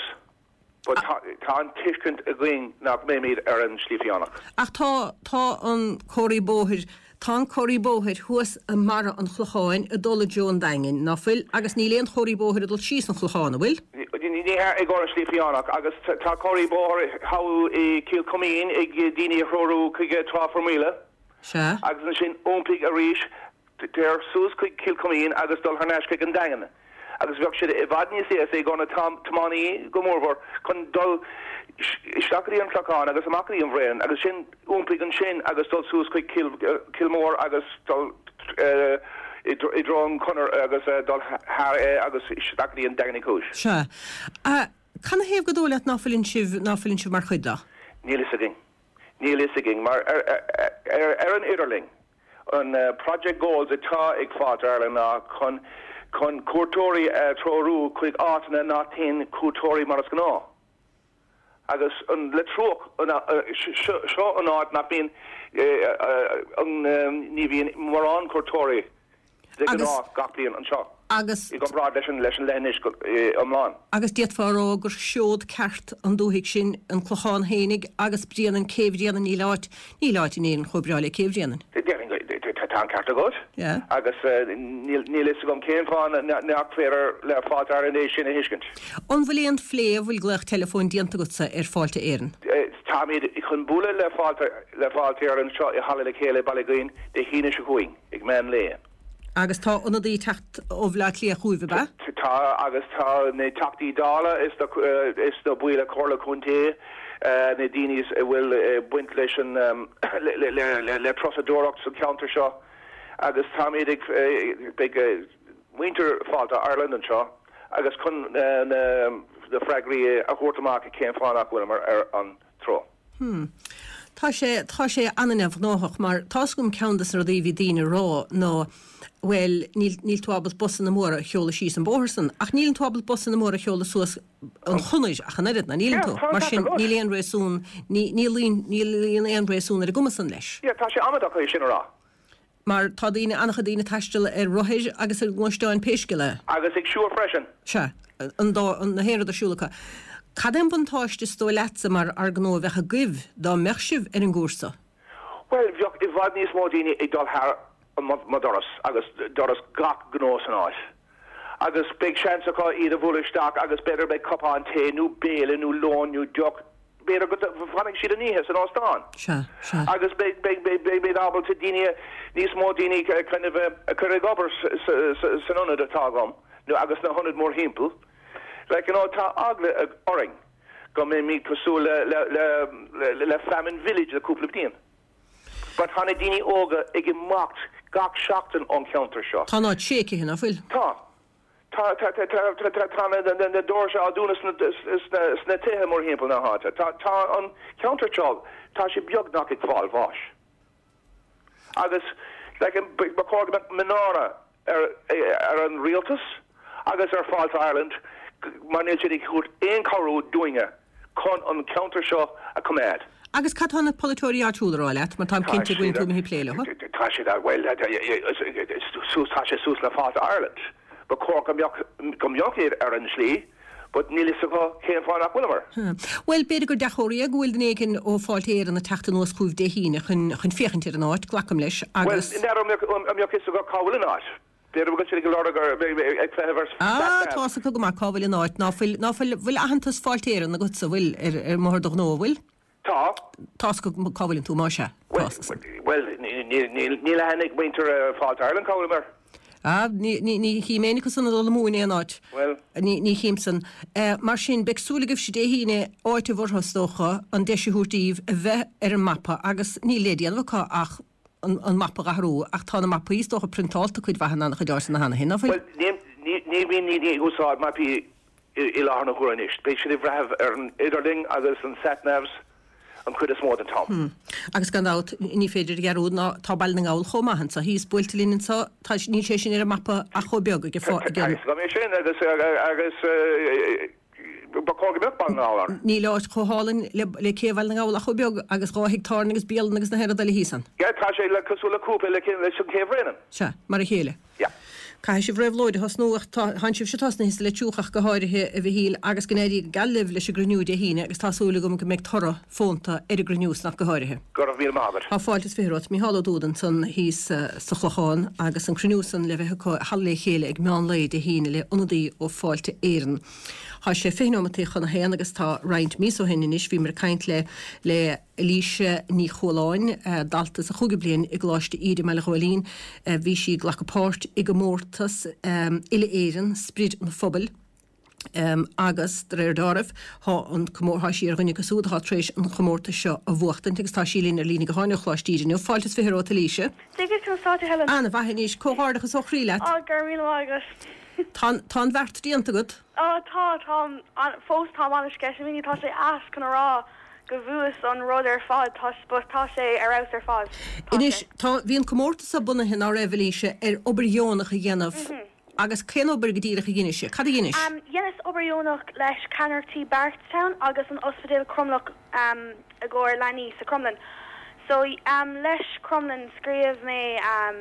But tá tá an tuiscint againn nach mbeimid ar an Slí Fiánach. Ach tá tá an comharthaí bóthair tá an comharthaí bóthair thuas i mbarra an Chlocháin ag dul i dtreo an Daingin, ná fuil? Agus níl aon chomharthaí bóthair ag dul síos an Clochán, an bhfuil? Ní hea, i gcomhair an Slí Fiánach. Agus tá comharthaí bóthair thall i Cill Chuimín ag daoine a threorú chuig Trá Formaoile. Sea. Agus ansin iompaigh arís Téir suas chuig Cill Chuimín agus dul thar n-ais chuig an Daingean agus bheadh sé i bhfad níos éasca i gcomhair na tiománaí go mórmhór chun dul isteach go dtí an Clochán agus amach go dtí an Bhréanainn agus sin iompaigh ansin agus dul suas chuig Cill Mór agus dul i dtreo an Chonair agus dul thar é agus isteach go dtí an Daingean Uí Chúis. Sea. Canathaobh gur dóigh leat ná fuileann sibh, ná fuileann sibh mar chuid de? Níl fhios againn. Níl fhios againn mar ar an idirlinn. An project goals atá ag Fáilte Ireland ná chun chun cuairteoirí a threorú chuig áiteanna nach dtéann cuairteoirí mar is gnáth. Agus an le trua seo an áit nach bíonn ní bhíonn mórán cuairteoirí de ghnáth gach bliain anseo. Agus i gcomparáid leis an leis an leithinis iomlán. Agus d'fhéadfá a rá gur seod ceart an dúthaigh sin an Clochán fhéinig agus Bréanainn, Céibh Bhréanainn, níl áit, níl áit in Éirinn chomh breá le Céibh Bhréanainn. Déarfainn go, tá an ceart agat. Agus níl fhios agam cén fáth nach féidir le Fáilte Ireland é sin a thuiscint. An bhfuil aon phlé, an bhfuil glaoch teileafóin déanta agatsa ar Fáilte Éireann? Táimid chun bualadh le Fáilte le Fáilte Éireann anseo i Halla le Chéile i Baile Dhuinn Dé hAoine seo chugainn ag meán lae. Agus tá ionadaí ag teacht ó Bhaile Átha Cliath chugaibh, ab ea? Tá, agus tá na Teachtaí Dála is is na baill Comhairle Contae, na daoine a bhfuil baint leis an le turasóireacht sa cheantar seo agus táimid ag beidh muintir Fáilte Ireland anseo agus chun na freagraí a thabhairt amach cén fáth nach bhfuileamar ar an treo. Hmm. Tá sé, tá sé an-neamhghnóthach mar tá's agam ceann des na rudaí a bhí daoine a rá ná bhuel níl, níl tú ábalta busanna móra a sheoladh síos an bóthar san ach níleann tú ábalta busanna móra a sheoladh suas an chonair ach an oiread, ná níleann tú? Mar sin níl aon réasún, ní, níl aon, níl aon réasún ar an gcuma san leis. Yeah, tá sé amaideach é sin a rá. Mar tá daoine, an-chuid daoine ag taisteal ar rothair agus ar ghluaisteáin pé scéal é. Agus ag siúl freisin. Sea, an dá, na haon rud ar siúl acu. Cad é an buntáiste is dóigh leatsa mar fhear gnó a bheadh agaibh dá mbeadh sibh ar an gcúrsa? Bhuel, bheadh i bhfad níos mó daoine ag dul thar mo dhoras agus doras gach gnó san áit. Agus beidh seans acu iad a bhualadh isteach agus b'fhéidir beidh cupán tae nó béile nó lón nó deoch, b'fhéidir go bhfanfaidh siad an oíche san óstán. Sea, sea. Agus beidh, beidh, beidh, beidh ábalta daoine, níos mó daoine kind of a chur ag obair san ionad atá agam nó agus na hionaid mórthimpeall. Like, you know, tá eagla orainn go mbeimid cosúil le, le, le, le, le Famine Village le cúpla bliain. But tá na daoine óga ag imeacht gach seachtain ón cheantar seo. Tá an áit séicithe, nach bhfuil? Tá. Tá, tá, tá, tá, tá, tá, tá na, na, na doirse á dúnadh sna, sna, sna tithe mórthimpeall na háite. Tá, tá an ceantar seo, tá sé beagnach ag fáil bháis. Agus, like, ba chóir go mbeadh mianach ar, ar an rialtas agus ar Fáilte Ireland mar níl siad ag thabhairt aon chabhrú dúinne chun an ceantar seo a choimeád. Agus cad tá na polaiteoirí áitiúla a rá leat, mar táim cinnte go bhfuil tú imithe ag plé leo? Tá siad, bhuel, suas, tá sé suas le Fáilte Ireland. Ba chóir go mbeadh, go mbeadh iad ar an slí, but níl fhios acu cén fáth nach bhfuileamar. Bhuel, b'fhéidir gur dea-chomhartha é go bhfuil duine éigin ó Fáilte Éireann ag teacht anuas chugaibh Dé hAoine chun, chun féachaint ar an áit, glacaim leis, agus. Bhuel, n'fheadar an mbeadh, an mbeadh fhios acu cá bhfuil an áit. B'fhéidir go bhfuil siad ag lorg ar, ag feitheamh ar Ah, sat nav. tá's acu go maith cá bhfuil an áit. Ná fuil, ná fuil, bhfuil aitheantas Fáilte Éireann agatsa, bhfuil, ar, ar mbóthar do ghnó, an bhfuil? Tá. Tá's acu cá bhfuileann tú, más ea. Bhuel, Tá's. bhuel, níl, níl, níl aithne ag muintir Fáilte Ireland cá bhfuileamar. Ah, ní, ní, ní chím éinne acu san ag dul amú in aon áit. Bhuel. Ní, ní chím san. Mar sin, beidh súil agaibhse Dé hAoine áiteamh orthu, is dócha, an deis a thabhairt daoibh a bheith ar an mapa agus níl le déanamh acu ach an, an mapa a athrú ach tá na mapaí, is dócha, priontálta cuid mhaith in an-chuid áiteanna cheana féin, ná fuil? Bhuel, ní, ní, ní bhíonn daoine ag úsáid mapaí i, i láthair na huaire anois. Beidh siad ag bhfeitheamh ar an idirlíon agus an sat-navs an chuid is mó den t-am. Agus gan dabht, ní féidir a dhearúd ná tá Baile na nGall chomh maith anso thíos buailte linn anso, tá, níl sé sin ar an mapa ach chomh beag ag Tá a fhios agam é sin agus, agus ba chóir go mbeadh Baile na nGall ann. Níl áit chomh hálainn le, le céibh Bhaile na nGall ach chomh beag agus dhá thigh tábhairne agus bialann agus na haon rud eile thíos ann. Yeah, tá sé le cosúil le cúpla le, leis an Chéibh Bhréanainn. Sea, mar a chéile. Yeah. Caithfidh sibh réabhlóid a thosnú ach tá sibhse tosnaithe le Leitir ach go háirithe, a Mhichíl, agus go n-éirí go geal libh leis an gcruinniú Dé hAoine agus tá súil agam go mbeidh toradh fónta ar an gcruinniú san ach go háirithe. Go raibh míle maith agat. Tá fáilte is fiche romhat. Micheál Ó Dúda ansan thíos sa Chlochán agus an cruinniú san le bheith acu i Halla Le Chéile ag meán lae Dé hAoine le ionadaí ó Fáilte Éireann. Tá sé fiche nóimeataí chun a haon agus tá roinnt míosa ó shin anois bhíomar ag caint le le Eilíse Ní Chualáin, dalta sa chúigiú bliain i gColáiste Íde i mBaile Ghóilín. Bhí sí ag glacadh páirt i gcomórtas uile-Éireann, Sprid an Phobail, agus de réir dealraimh tá an tá sí ar dhuine acu siúd atá tar éis an chomórtas seo a bhuachtaint agus tá sí linn ar líne gutháin ó Choláiste Íde inniu. Fáilte is fiche romhat, Eilíse. Dia duit, conas tá tú, Helen? An-mhaith anois. Comhghairdeachas ó chroí leat. Á, go raibh míle maith agat. Tá tá an bheart déanta agat? Á, tá, táim fós táim an-sceitimíní, tá sé ait chun a rá go bhfuas an rud ar fad, tá but tá sé ar fheabhas ar fad, tá Anois, sé. tá, bhí an comórtas seo bunaithe, ná raibh, Eilíse, ar obair dheonach a dhéanamh Agus cén obair go díreach a dheinis? Cad a dheinis? Um, Dheineas obair dheonach leis Ceannaireachtaí Barretstown agus an Ospidéal Cromleach um, i gcomhair leanaí sa Cromghlinn. So um, leis Cromghlinn scríobh mé um,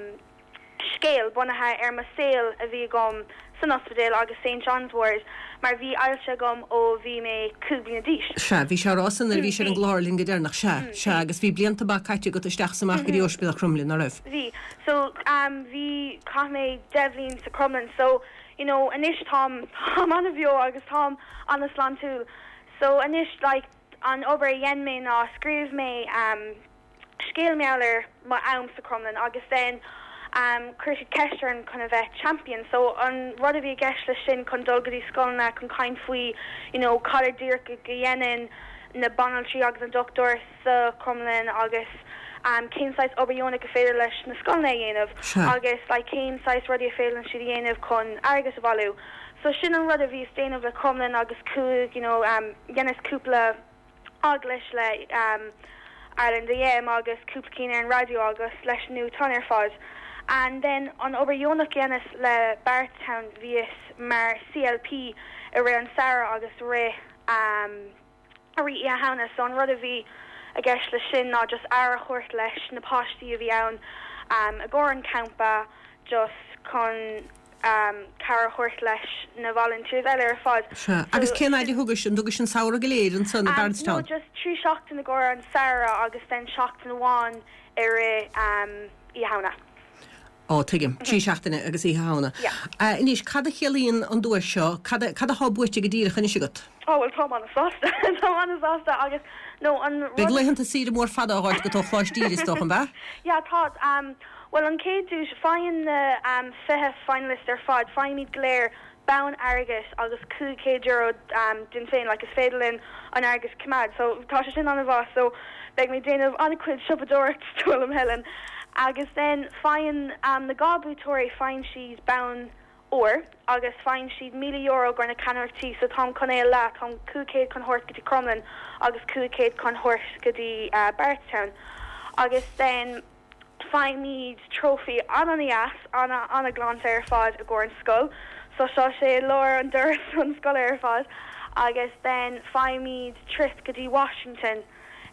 scéal bunaithe ar mo saol a bhí agam san ospidéal agus St John's Ward mar bhí ailse agam ó bhí mé cúig bliana d'aois. Sea, bhí sé rá san nuair a bhí sé ar an Bhí. gclár linn go deireanach, sea, sea, agus bhí blianta maithe caite agat isteach is amach go dtí Ospidéal Cromghlinn, ná raibh? Bhí. So um, bhí chaith mé deich mbliain sa Cromghlinn. So you know, anois táim táim an-bheo agus táim an-sláintiúil. So anois like an obair a dhein mé ná scríobh mé um, scéal mar gheall ar mo am sa Cromghlinn agus then um, chuir siad ceist orm chun a bheith champion. So an rud a bhí i gceist leis sin chun dul go dtí scoileanna chun caint faoi you know, cad é díreach go dhéanann na banaltraí agus an dochtúir sa Cromghlinn agus um, cén saghas obair dheonach go féidir leis na scoileanna a dhéanamh Sea. agus like, cén saghas rudaí a féidir siad a dhéanamh chun airgead a bhailiú. So sin an rud a bhíos ag déanamh le Cromghlinn agus cúig you know, um, dheineas cúpla agallamh le um, Ireland AM agus cúpla cinn ar an radio agus leis nuachtán ar fad. And then an obair dheonach dheineas le Barretstown bhíos mar CLP i rith an samhradh agus rith um, a rith Oíche Shamhna, so an rud a bhí i gceist le sin ná just aire a thabhairt leis na páistí a bhí ann um, i gcomhair an campa just chun um, cabhair a thabhairt leis na volunteers eile ar fad. Sea, agus cén fhad a thugais an dtugais an samhradh go léir ansan i Um, no, Barretstown? just trí seachtain i gcomhair an samhradh agus then seachtain amháin i rith um, Oíche Shamhna. Ó tuigim, trí seachtaine agus Oíche Shamhna. Yeah. Uh, Anois, cad a chiallaíonn an duais seo, cad a- cad atá buaite go díreach anois agat? Oh well tá an-sásta Tá an-sásta agus no an Beidh rud- laethanta saoire mór fada á fháil agat ó Choláiste is dócha an ea? Ja tá um, well an chéad duais faigheann na um, fiche finalist ar fad faighimid go léir bonn airgid agus cúig chéad euro um, dúinn féin like, is féidir linn an airgead a choimeád so tá sé sin an-mhaith so beidh mé déanamh an-chuid siopadóireacht tuaim Helen agus then faigheann um, na dhá buaiteoirí faigheann siad bonn óir agus faigheann siad míle euro go na ceannaireachtaí so táim chun é le táim cúig chéad chun thabhairt go dtí Cromghlinn agus cúig chéad chun thabhairt go dtí uh, Barretstown agus then faighimid trophy an-an-deas an an-ghlanta ar fad i gcomhair an scoil so seo sé lár an doras an scoil ar fad agus then faighimid trip go dtí Washington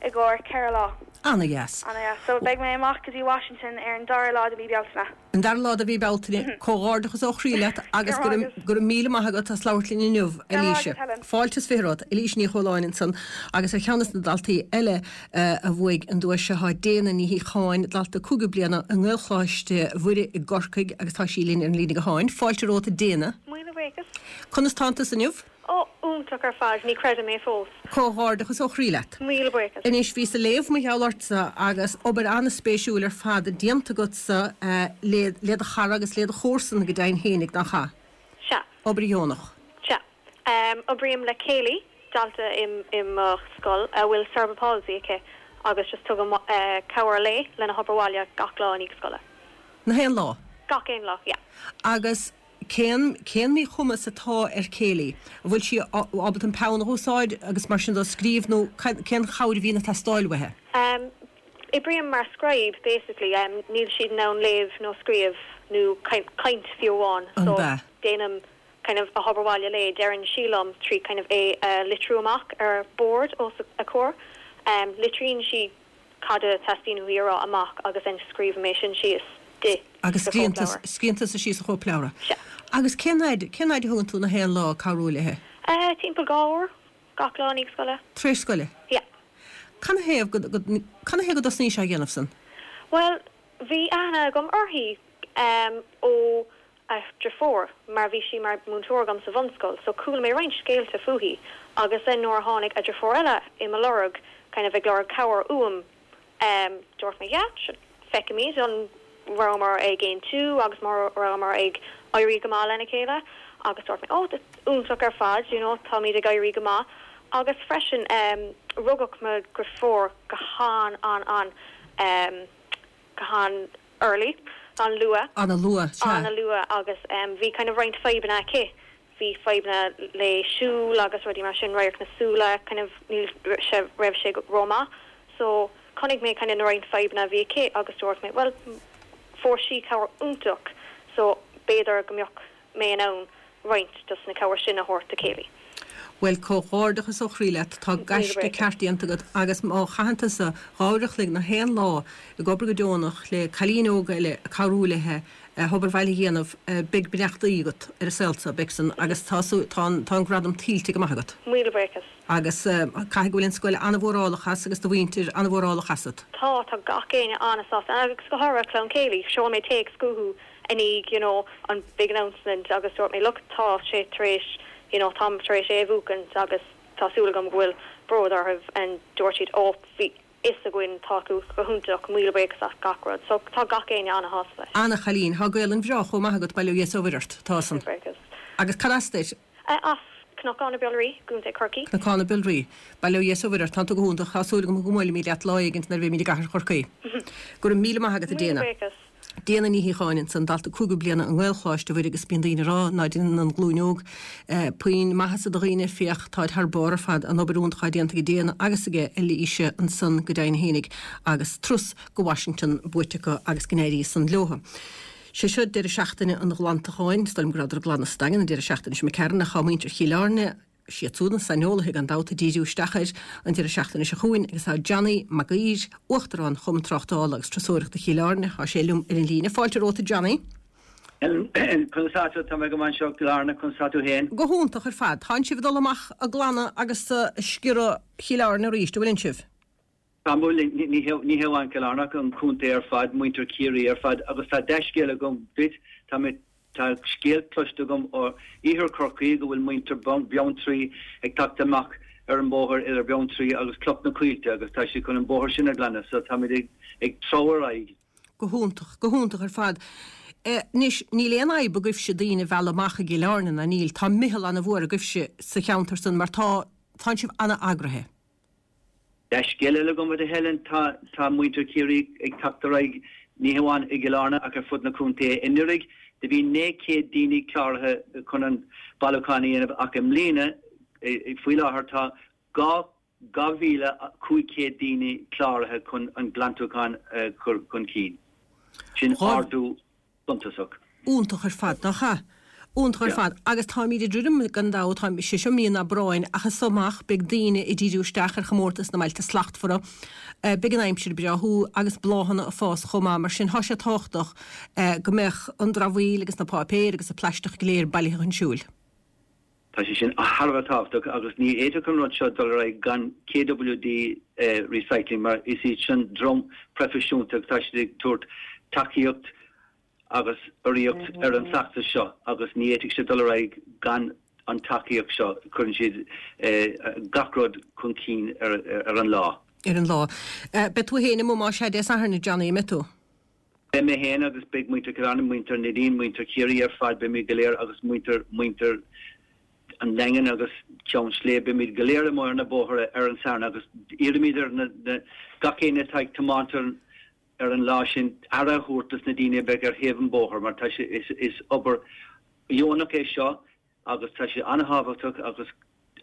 i gcomhair ceithre lá An-deas. An-deas so beidh mé amach go dtí Washington ar an dara lá de mhí Bealtaine. An dara lá de mhí Bealtaine comhghairdeachas ó chroí leat agus Go raibh go raibh míle maith agat as labhairt linn inniu Go raibh Elise. maith agat, Helen. Fáilte is fiche romhat Elise Ní Chualáin ansan agus ar cheann de na daltaí eile eh, a bhuaigh an duais seo tá Déana Ní Shíocháin dalta cúigiú bliana i nGaelcholáiste Mhuire i gCorcaigh agus tá sí linn ar an líne gutháin. Fáilte romhat Déana. Míle buíochas. Conas tánn tú inniu? Ó iontach ar fad ní chreidim é fós. Comhghairdeachas ó chroí leat. Míle buíochas. Anois bhí ag léamh mar gheall ortsa agus obair an-spéisiúil ar fad déanta agatsa eh, le le do chara agus le do chomharsan go deimhin féinig nach ea. Sea, Obair dheonach. sea. Um, oibrím le Kaylee dalta im im uh, scoil a bhfuil cerebral palsy aici agus just tugaim uh, cabhair léi lena hobair bhaile gach lá ag scoile. Na haon lá. Gach aon lá, yeah. Agus cén cén míchumas atá ar Kaylee, An bhfuil sí ábalta an peann a úsáid agus mar sin do scríobh nó cén chabhair a bhíonn ag teastáil uaithi. Um, Oibrím mar scribe basically um, níl siad in ann léamh nó scríobh nó caint fiú amháin An so bea. déanaim kind of a hobair bhaile léi deireann sí liom trí kind of é uh, litriú amach ar board os a comhair um, litríonn sí cad a teastaíonn uaithi a rá amach agus an scríobh mé sin síos di Agus sa cóipleabhar. scríobhann tusa síos sa chóipleabhar. Sea. Agus cén fhad cén fhad a thugann tú na haon lá cabhrú léi? Uh, timpeall dhá uair gach lá ag scoile. Tar éis scoile. Yeah. Canathaobh go canathaobh go dtosnaís á dhéanamh san? Well, bhí aithne agam uirthi um, ó a deirfiúr mar bhí sí mar múinteoir agam sa bhunscoil, so chuala mé roinnt scéalta fúithi agus then nuair a tháinig a deirfiúr eile i mo lorg kind of ag lorg cabhair uaim um, dúirt mé yeah, feicimid an rabhamar ag aontú agus mar rabhamar ag éirí go maith lena chéile agus dúirt mé oh iontach ar fad you know, táimid ag éirí go maith agus freisin um, rugadh mo dheirfiúr go han an an um, go han early an luath An-luath an-luath agus um, bhí kind of roinnt fadhbanna aici bhí fadhbanna le siúl agus rudaí mar sin radharc na súile kind of níl sé raibh sé ró-mhaith so chonaic mé kind of na roinnt fadhbanna bhí aici agus dúirt mé well fuair sí cabhair iontach so b'fhéidir go mbeadh mé in ann roinnt dos na cabhair sin a thabhairt do Kaylee. Bhuel, comhghairdeachas ó chroí leat, tá gaisce ceart déanta agat agus má chaitheann tusa dhá uair a chloig na haon lá ag obair go deonach le cailín óg eile ag cabhrú léi a hobair bhaile a dhéanamh, beidh beannachtaí agat ar an saol seo, beidh san, agus tá tá an tá an gradam tuillte go maith agat. Míle buíochas. Agus caithfidh go bhfuil an scoil an-mhórálach as agus do mhuintir an-mhórálach asat. Tá, tá gach éinne an-sásta agus go háirithe clann Kaylee, sheol mé téacs chucu i ndiaidh you know an big announcement agus dúirt mé look tá sé tar éis you know táim tar éis é a bhuachaint agus tá súil agam go bhfuil bród orthu and dúirt siad ó bhí fhios againn tá tú go hiontach míle buíochas as gach rud so tá gach éinne an-shásta leis. Ana-chailín, tá Gaelainn bhreá chomh maith agat bail ó Dhia is ó Mhuire ort, tá san. Buíochas. Agus cad as duit? As Cnocán na Biolraí, gContae Chorcaí. Cnocán na Biolraí. Bail ó Dhia is ó Mhuire ort, tánn tú go hiontach, tá súil agam go mbuailfimid leat lá éigint nuair a bheimid i gCathair Chorcaí. Go raibh míle maith agat a Míle Déana. buíochas. Déana Ní Shíocháin ansan, dalta cúigiú bliana i nGaelcholáiste Mhuire agus bíonn daoine ag rá ná déanann an ghlúin óg puinn maitheasa do dhaoine, féach, táid thar barr ar fad, an obair iontach atá déanta ag Déana agus aige Eilíse ansan go deimhin fhéinig agus turas go Washington buaite acu agus go n-éirí san leothu. Sé seo deireadh seachtaine an ghlantacháin, is dóigh liom go rabhadar ag glanadh sa Daingean an deireadh seachtaine seo imigh tharainn ach tá muintir Chill Airne, Siad siúd na saineolaithe gan dabht ag díriú isteach air an deireadh seachtaine seo chugainn agus tá Johnny Mac Uidhir, Uachtarán Chumann Tráchtála agus Turasóireachta Chill Airne, tá sé liom ar an líne. Fáilte romhat a Johnny. Conas tá tú? Tá mé go maith anseo i gCill Airne, conas tá tú féin? Go hiontach ar fad. Tánn sibh ag dul amach ag glanadh agus ag sciorradh Chill Airne arís, an bhfuileann sibh? Tá, bhuel, ní hé amháin Cill Airne ach an contae ar fad, muintir Chiarraí ar fad agus tá dea-scéal agam duit, tá mé Tá scéal cloiste agam ó iarthar Chorcaí go bhfuil muintir Bheanntraí ag teacht amach ar an bóthar idir Beanntraí agus Cloch na Coillte agus tá siad chun an bóthar sin a ghlanadh so táimid ag ag treabhadh ar aghaidh. Go hiontach, go hiontach ar fad. Anois, níl aon fhadhb agaibhse daoine a mhealladh amach i gCill Airne, ná níl? Tá meitheal ana-mhór agaibhse sa cheantar san mar tá, tánn sibh ana-eagraithe. Dea-scéal eile agam a Helen, tá tá muintir Chiarraí ag teacht ar aghaidh, ní hamháin i gCill Airne ach ar fud na contae. Anuraidh do bhí naoi céad daoine cláraithe chun an bailiúchán a dhéanamh ach i mbliana, faoi láthair, tá dhá dhá mhíle cúig chéad daoine cláraithe chun an glantachán a chur chun cinn. Sin ardú suntasach. Iontach ar fad, nach ea? Iontach ar fad. Agus táimid ag druidim, gan dabht, tá sé seo mí an Aibreáin, ach as so amach beidh daoine ag díriú isteach ar chomórtas na mBailte Slachtmhara. Beidh an aimsir breá thuaidh agus bláthanna ag fás chomh maith, mar sin tá sé tábhachtach go mbeadh an dramhaíl agus na páipéir agus an plaisteach go léir bailithe chun siúil. Tá sé sin thar a bheith tábhachtach agus ní fhéadfadh an rud seo dul ar aghaidh gan KWD Recycling mar is iad sin dream proifisiúnta agus tá siad ag tabhairt tacaíocht agus urraíocht ar an bhfeachtas seo agus ní fhéadfadh sé dul ar aghaidh gan an tacaíocht seo. Cuireann siad gach rud chun cinn ar an lá. Ar an lá. Beidh tú féin amuigh más ea Dé Sathairn, a Johnny, an mbeidh tú? Beidh mé féin agus beidh muintir Chill Airne, muintir Neidín, muintir Chiarraí ar fad, beimid go léir agus muintir, muintir an Daingin agus Ceann Sléibhe, beimid go léir amuigh ar na bóithre ar an Satharn agus iarraimid ar na, na, gach éinne atá ag tiomáint ar, ar an lá sin aire a thabhairt dos na daoine a bheidh ar thaobh an bhóthair mar tá sé, is, is obair dheonach é seo agus tá sé an-thábhachtach agus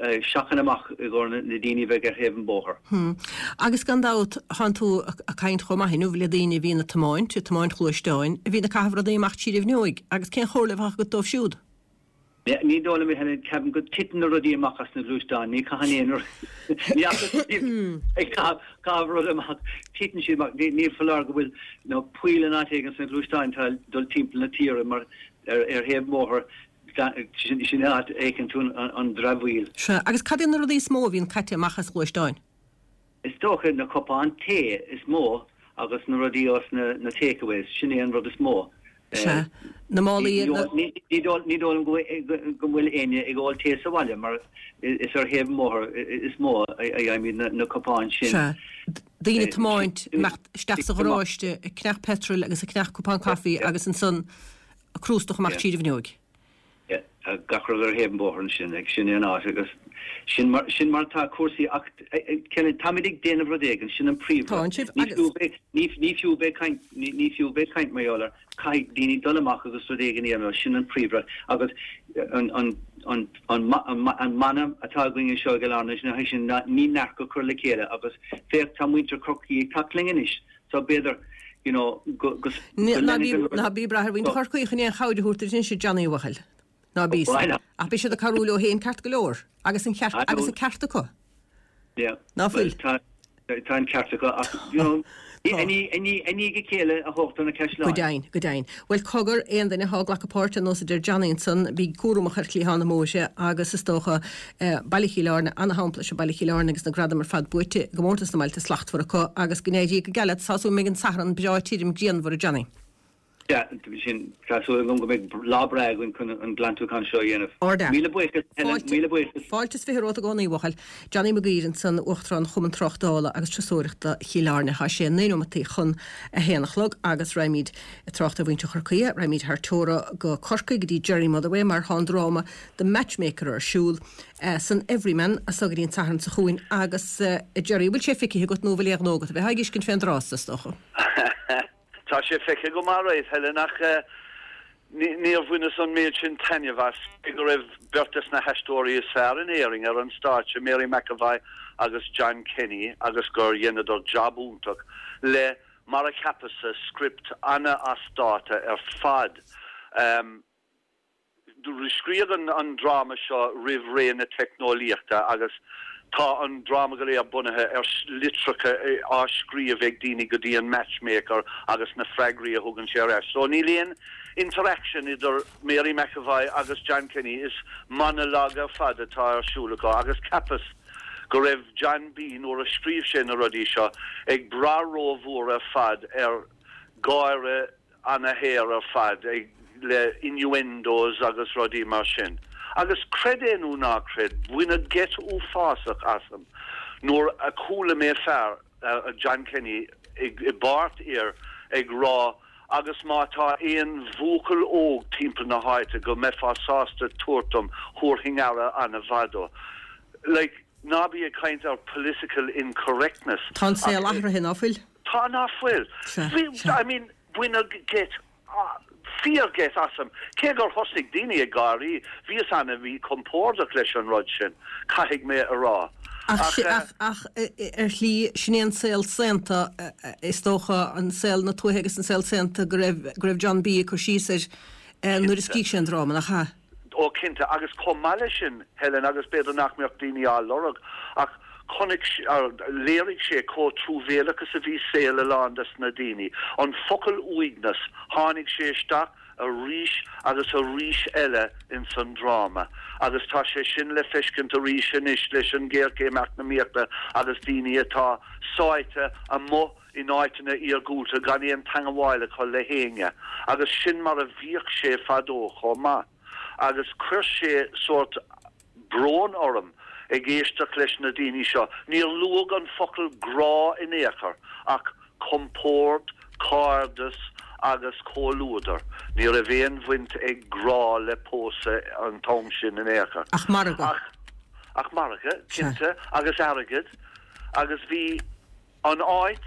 seachain amach i gcomhair na daoine a bheidh ar thaobh an bhóthair. Hm. Agus gan dabht, thánn tú ag caint chomh maith inniu le daoine a bhíonn ag tiomáint, ag tiomáint gluaisteáin, a bhíonn ag caitheamh rudaí amach tríd an bhfuinneoig, agus cén chomhairle a bheadh agat dóibh siúd? Ní dóigh liom, a Helen, ceapaim go dtiteann na rudaí amach as na gluaisteáin, ní chaitheann aon rud, ní fhacthas ag caitheamh rud amach, titeann siad amach, ní foláir go bhfuil you know poill in áit éigin sna gluaisteáin atá ag dul timpeall na tíre mar ar thaobh an bhóthair Sin an áit a fheiceann tú an dramhaíl. Sea, agus cad iad na rudaí is mó a bhíonn caite amach as gluaisteáin? Is dócha na cupáin tae is mó agus na rudaí os na takeaways, sin é an rud is mó. Sea, na málaí, na. Ní dóigh liom go bhfuil éinne ag ól tae sa bhaile mar is ar thaobh an bhóthair is mó a fhaighimid na cupáin sin. Sea, daoine ag tiomáint, imeacht isteach sa gharáiste, ag ceannach peitril agus ag ceannach cupán caife agus ansan ag crústach amach tríd an bhfuinneoig. Gach rud ar thaobh an bhóthair ansin, ag sin é an áit agus sin mar, sin mar atá cúrsaí ach Helen, táimid ag déanamh rud éigin, sin an príomhrud. Ní fiú bheith, ní, ní fiú bheith ag caint, ní, ní fiú bheith ag caint mar gheall air, caithfidh daoine dul amach agus rud éigin a dhéanamh, sin an príomhrud agus an, an, an, an, an, an mana atá againn anseo i gCill Airne ná sin ná ní neart go cur le chéile agus féach tá muintir Chorcaí ag teacht linn anois so b'fhéidir you know go, go, Ná bí, ná bí ag brath ar mhuintir Chorcaí chun aon chabhair a thabhairt duit anois a Johnny a bhuachaill. Ná bí. Ach beidh siad ag cabhrú leo féin ceart go leor agus an ceart agus an ceart acu. Yeah. Ná fuil? Tá tá an ceart acu ach you know i ndiaidh a chéile a thógtar na caisleáin. Go deimhin, go deimhin. Bhuel cogar aon duine atá ag glacadh páirte ar nós a deir Johnny ansan, bí cúramach ar chliathán na mbóithre agus is dócha Baile Chill Airne, ana-shampla is ea Baile Chill Airne agus na gradaim ar fad buaite i gcomórtas na mBailte Slachtmhara acu agus go n-éirí go geal leat, tá súil go mbeidh an Satharn breá tirim grianmhar a Johnny. Yeah, sin, tá súil agam go mbeidh lá breá againn chun an glantúchán seo a dhéanamh. Ardfhear. Míle buíochas, Helen, Fáilte, míle buíochas. fáilte is fiche romhat i gcónaí, a bhuachaill. Johnny Mac Guiry ansan, Uachtarán Chumann Tráchtála agus Turasóireachta Chill Airne. Tá sé naoi nóimeataí chun a haon a chlog agus raghaimid ag trácht ar mhuintir Chorcaí, raghaimid thar teora go Corcaigh go dtí Jerry Motherway mar tá an dráma The Matchmaker ar siúl san Everyman as so go dtí an Satharn seo chugainn agus, a Jerry, bhfuil sé feicthe agat nó bhfuil aon ghnó agat a bheith ag fheiscint fén dtráth, is dócha? Tá sé feicthe agam alright, Helen, ach níor bhaineas an méid sin taitneamh as, cé go raibh beirt des na haisteoirí is fearr in Éirinn ar an stáitse, Mary McEvoy agus John Kenny, agus gur dheineadar jab iontach le, mar a cheapas-sa, script ana-as dáta ar fad. Scríobhadh an dráma seo roimh ré na teicneolaíochta agus tá an dráma go léir bunaithe ar litreacha á scríobh ag daoine go dtí an matchmaker agus na freagraí a thugann sé ar ais. So níl aon interaction idir Mary McEvoy agus John Kenny, is monologue ar fad atá ar siúl acu agus cheapas go raibh John B. nuair a scríobh sé na rudaí seo ag brath rómhór ar fad ar gáire ana-shaor ar fad, ag le innuendos agus rudaí mar sin. Agus creid é nó ná creid, baineadh geit uafásach asam nuair a chuala mé fear, John Kenny, i bpáirt fhir ag rá agus má tá aon bhuachaill óg timpeall na háite go mbeifeá sásta tabhairt dom, thabharfainn aire ana-mhaith dó. Like, ná bí ag caint ar political incorrectness. Tá an saol athraithe, ná fuil? Tá, ná fuil? I mean, baineadh geit, fíor-gheit asam. Cé gur thosnaigh daoine ag gáirí, bhíos ana-mhíchompordach leis an rud sin, caithfidh mé a rá. Ach, ach, ach ar shlí, sin é an saol saonta, is dócha, an saol na tuaithe agus an saol saonta go raibh, go raibh John B. ag cur síos air nuair a scrígh sé an dráma, nach ea? Ó, cinnte, agus chomh maith leis sin, Helen, agus b'fhéidir nach mbeadh daoine á lorg, ach chonaic, léirigh sé chomh truamhéalach is a bhí saol a lán des na daoine. An focal uaigneas, tháinig sé isteach arís agus arís eile ins an dráma agus tá sé sin le feiscint arís anois leis an ghéarchéim eacnamaíochta agus daoine atá sáite amuigh in áiteanna iargúlta gan aon teangabháil acu le héinne agus sin mar a bhíodh sé fadó chomh maith agus chuir sé sórt brón orm ag éisteacht leis na daoine seo. Níor luadh an focal grá in aon chor ach compord, cairdeas agus comhluadar. Ní raibh aon bhaint ag grá le pósadh an t-am sin in aon chor. Ach margadh. Ach, ach margadh, cinnte, agus airgead. Agus bhí an áit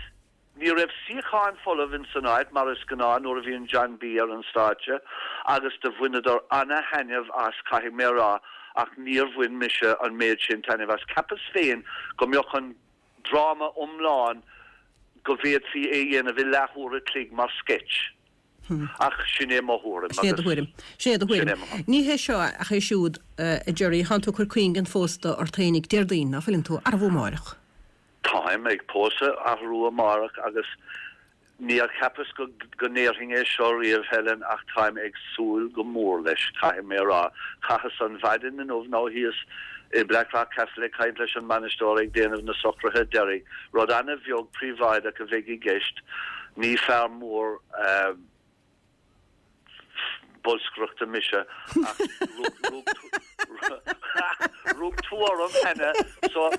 Ní raibh suíocháin folamh ins an áit, mar is gnáth nuair a bhíonn John B ar an stáitse, agus do bhaineadar ana-thaitneamh as, caithfidh mé a rá, ach níor bhain mise an méid sin taitnimh as. Cheapas féin go mbeadh an dráma iomlán, go bhféadfaí é dhéanamh i leathuair a chloig mar sketch. Ach sin é mo thuairim, Sin é do agus thuairim. Sin é do sin thuairim. é mo thuairim. Ní hé seo ach é siúd, a Jerry, thánn tú ag cur cuinginn phósta ort fhéinig Déardaoin, ná fuileann tú? Arbú amárach. Táim ag pósadh arú amárach agus níor cheapas go go ndéarfainn é seo riamh, Helen, ach táim ag súil go mór leis, caithfidh mé a rá. Chaitheas an mhaidin inniu nó thíos i Blackrock Castle ag caint leis an mbainisteoir ag déanamh na socruithe deiridh. Rud ana-bheag príobháideach a bheidh i gceist. Ní fear mór bolscaireachta mise ach rug tú orm cheana so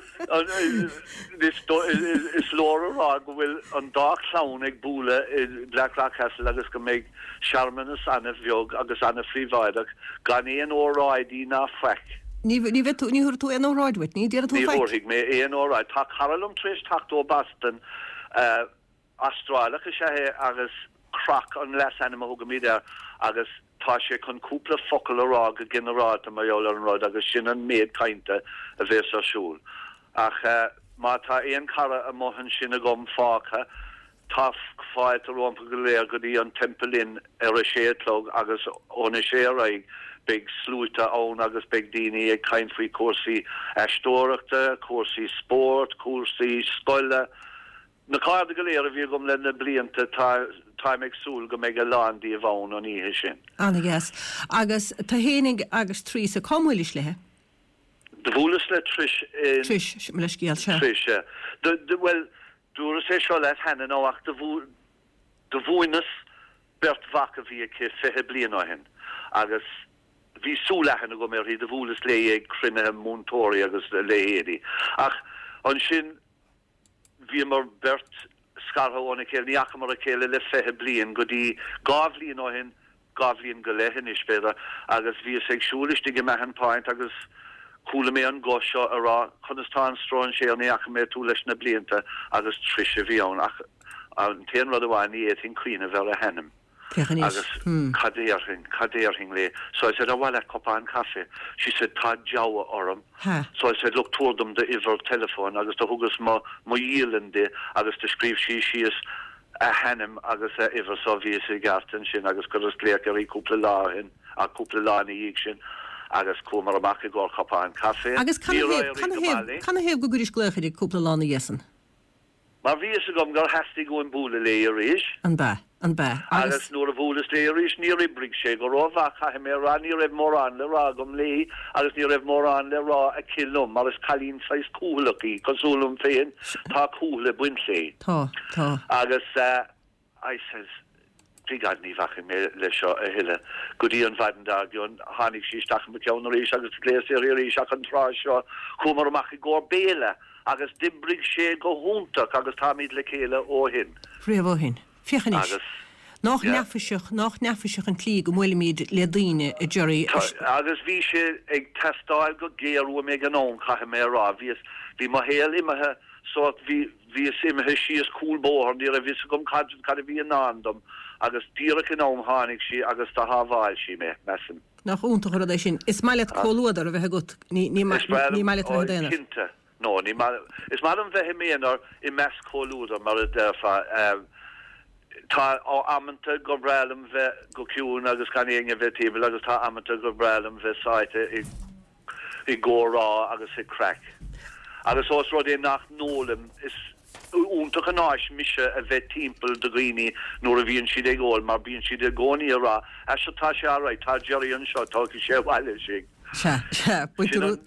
is leor a rá go bhfuil an dá chlann ag bualadh i Blackrock Castle agus go mbeidh searmanas ana-bheag agus ana-phríobháideach gan aon óráidí ná faic. Ní bheidh tú, ní thabharfaidh tú aon óráid uait, ní déarfaidh tú Ní faic. thabharfaidh mé aon óráid. Tá cara liom tar éis teacht ó Boston, Astrálach is ea é agus Croc an leasainm a thugaimid air agus tá sé chun cúpla focal a rá go ginearálta mar gheall ar an rud agus sin an méid cainte a bheas ar siúl. Ach má tá aon chara amuigh ansin agam fágtha, tá fáilte rompu go léir go dtí an Temple Inn ar a sé a chlog agus ón a sé ar aghaidh Beidh sluaite ann agus beidh daoine ag caint faoi cúrsaí aisteoireachta, cúrsaí spóirt, cúrsaí scoile. Na cairde go léir a bhí agam le na blianta, tá, táim ag súil go mbeidh a lán díobh ann an oíche sin. Ana-dheas. Agus tú fhéinig agus Teresa, cá mbuailis léi? Do bhuaileas le Trish in. Trish, mo leithscéal, sea. Trish, sea. Do, do, bhuel, dúras é seo leat cheana nó ach do bhu, do mhúineas beirt mhac a bhí aici fiche bliain ó shin agus bhí súil-aithne agam uirthi, do bhuaileas léi ag cruinnithe múinteoirí agus a leithéidí. Ach ansin bhíomar beirt scartha óna chéile, ní fhacamar a chéile le fiche bliain go dtí dhá bhliain ó shin, dhá bhliain go leith anois, b'fhéidir, agus bhíos ag siúl istigh i Mahon Point agus chuala mé an guth seo ag rá, 'Conas tá an stróinséir, ní fhaca mé tú leis na blianta' agus Trish a bhí ann ach an t-aon rud amháin, ní fhéadfainn cuimhneamh ar a hainm. Féach anois. Agus cad déarfainn, cad déarfainn léi? So I said, ar mhaith leat cupán caife? She said, tá deabhadh orm. Ha. So I said, look, tabhair dom d'uimhir teileafóin agus do thugas mo, mo dhialann di agus do scríobh sí síos a hainm agus a uimhir so bhíos i gceart ansin agus chuireas glaoch uirthi cúpla lá ó shin, cúpla lá ina dhiaidh sin agus chuamar amach i gcomhair cupán caife. Agus Níor éirigh go maith léi. canathaobh go gcuiris glaoch uirthi cúpla lá ina dhiaidh san? Mar bhí fhios agam gur theastaigh uaim bualadh léi arís. An b'ea? An b'ea? Agus Agus. nuair a bhuaileas léi arís, níor oibrigh sé go rómhaith, caithfidh mé a rá, ní raibh mórán le rá agam léi agus ní raibh mórán le rá aici liom, mar is cailín saghas cúthaileach í, cosúil liom féin, tá cúthaill ag baint léi. Tá, tá. Agus eh, I says, By God, ní bhacfaidh mé leis seo a thuilleadh. Go dtí an mhaidin dár gcionn, tháinig sí isteach i mo cheann arís agus ghlaos uirthi arís ach an tráth seo chuamar amach i gcomhair béile agus d'oibrigh sé go hiontach agus táimid le chéile ó shin. Riamh ó shin. Féach anois. Agus, Nách yeah. neafaiseach, nách neafaiseach an tslí go mbuailimid le daoine, a Jerry. Tá, agus bhí sé ag teastáil go géar uaim ag an am, caithfidh mé a rá. Bhíos, bhí mo shaol imithe sórt, bhí, bhíos imithe síos cúl bóthair, ní raibh fhios agam cad, cad a bhí i ndán dom agus díreach in am tháinig sí agus do shábháil sí mé, measaim. Nach iontach an rud é sin. Is maith leat comhluadar a bheith agat, ní, ní, Is breá ní liom, maith leat a ó, bheith i d'aonar. cinnte. No, ní maith, is maith liom bheith i m'aonar i measc comhluadar, mar a déarfá. Tá amanta gur breá liom bheith go ciúin agus gan éinne bheith timpeall agus tá amanta gur breá liom bheith sáite i i gcomhrá agus i craic. Agus ós rud é nach n-ólaim, is iontach an áis mise a bheith timpeall do dhaoine nuair a bhíonn siad ag ól mar bíonn siad i gcónaí ag rá, 'Á seo tá sé alright, tá Jerry anseo, tógfaidh sé abhaile sinn. Sea, sea, Sin baintear an.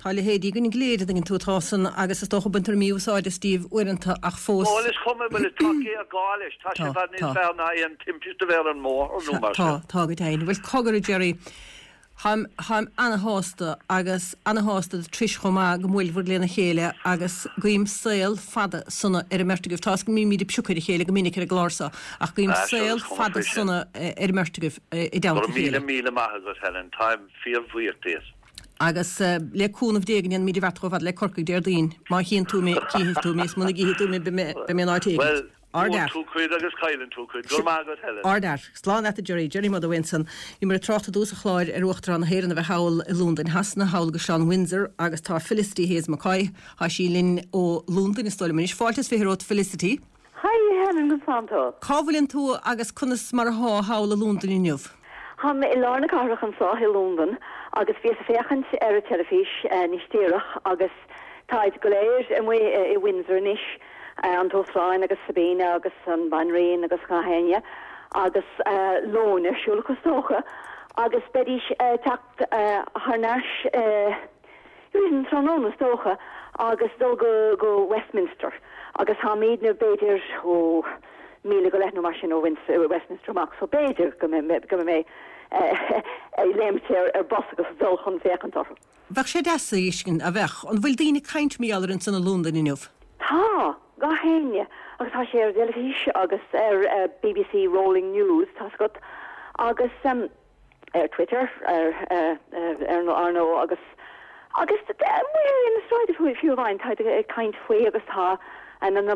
Tá a leithéidí againn go léir, an dtuigeann tú, atá san agus is dócha baintear mí-úsáid as díobh uaireanta ach fós. Bhuel is cuma, bhuel tá géarghá leis, tá sé Tá, i bhfad níos tá. fearr ná aon timpiste a bheith ar an mbóthar nó Sea, mar tá, sin. tá go deimhin. Bhuel cogar a Jerry, táim, táim ana-shásta agus ana-shásta do Trish chomh maith go mbuailfear lena chéile agus guím saol fada sona ar an mbeirt agaibh. Tá 'fhios agam go mbímid ag piocadh ar a chéile go minic ar an gclár seo ach guím Ah, sure, saol is cuma fada faoi sin. sona ar an mbeirt agaibh i Go dteannta raibh a míle chéile. míle maith agat Helen, táim fíorbhuíoch díot. Agus le cúnamh Dé go ndéanfaimid an bheart chomh fada le Corcaigh Déardaoin. Má chíonn tú mé, cífidh tú mé, is muna gcífidh tú mé, beidh mé beidh mé in áit éigin. Bhuel, Ardfhear. buann tú cuid agus cailleann tú cuid. Go raibh maith agat Helen. Ardfhear. Slán leat a Jerry. Jerry Motherway ansan. Bhíomar ag trácht i dtús an chláir ar Uachtarán na hÉireann a bheith thall i Londain Shasana, thall i gCaisleán Windsor agus tá Felicity Hayes McCoy, tá sí linn ó Londain is dóigh liom anois. Fáilte is fiche romhat Felicity. Hi Helen, conas tánn tú? Cá bhfuileann tú agus conas mar atá thall i Londain inniu? Táim i lár na cathrach anseo i Londain agus bhíos ag féachaint ar an teilifís níos déanaí agus táid go léir amuigh i Windsor anois, an tUachtarán agus Sabina agus an Bhanríon agus gach éinne agus lón ar siúl acu is dócha agus beidís ag teacht thar n-ais i an tráthnóna is dócha agus dul go go Westminster agus táimidne b'fhéidir ó míle go leith nó mar sin ó Westminster amach, so b'fhéidir go mbeidh mé ag léimt ar bus agus dul chun féachaint orthu. Bheadh sé deas a fheiscint, a bheadh. An bhfuil daoine ag caint mar gheall air ansan i Londain inniu? Tá, gach éinne, agus tá sé ar teilifís agus ar BBC Rolling News, tá agat, agus ar Twitter, ar ar ar ndóigh agus agus amuigh ar na sráideanna fiú amháin, tá ag caint faoi agus tá na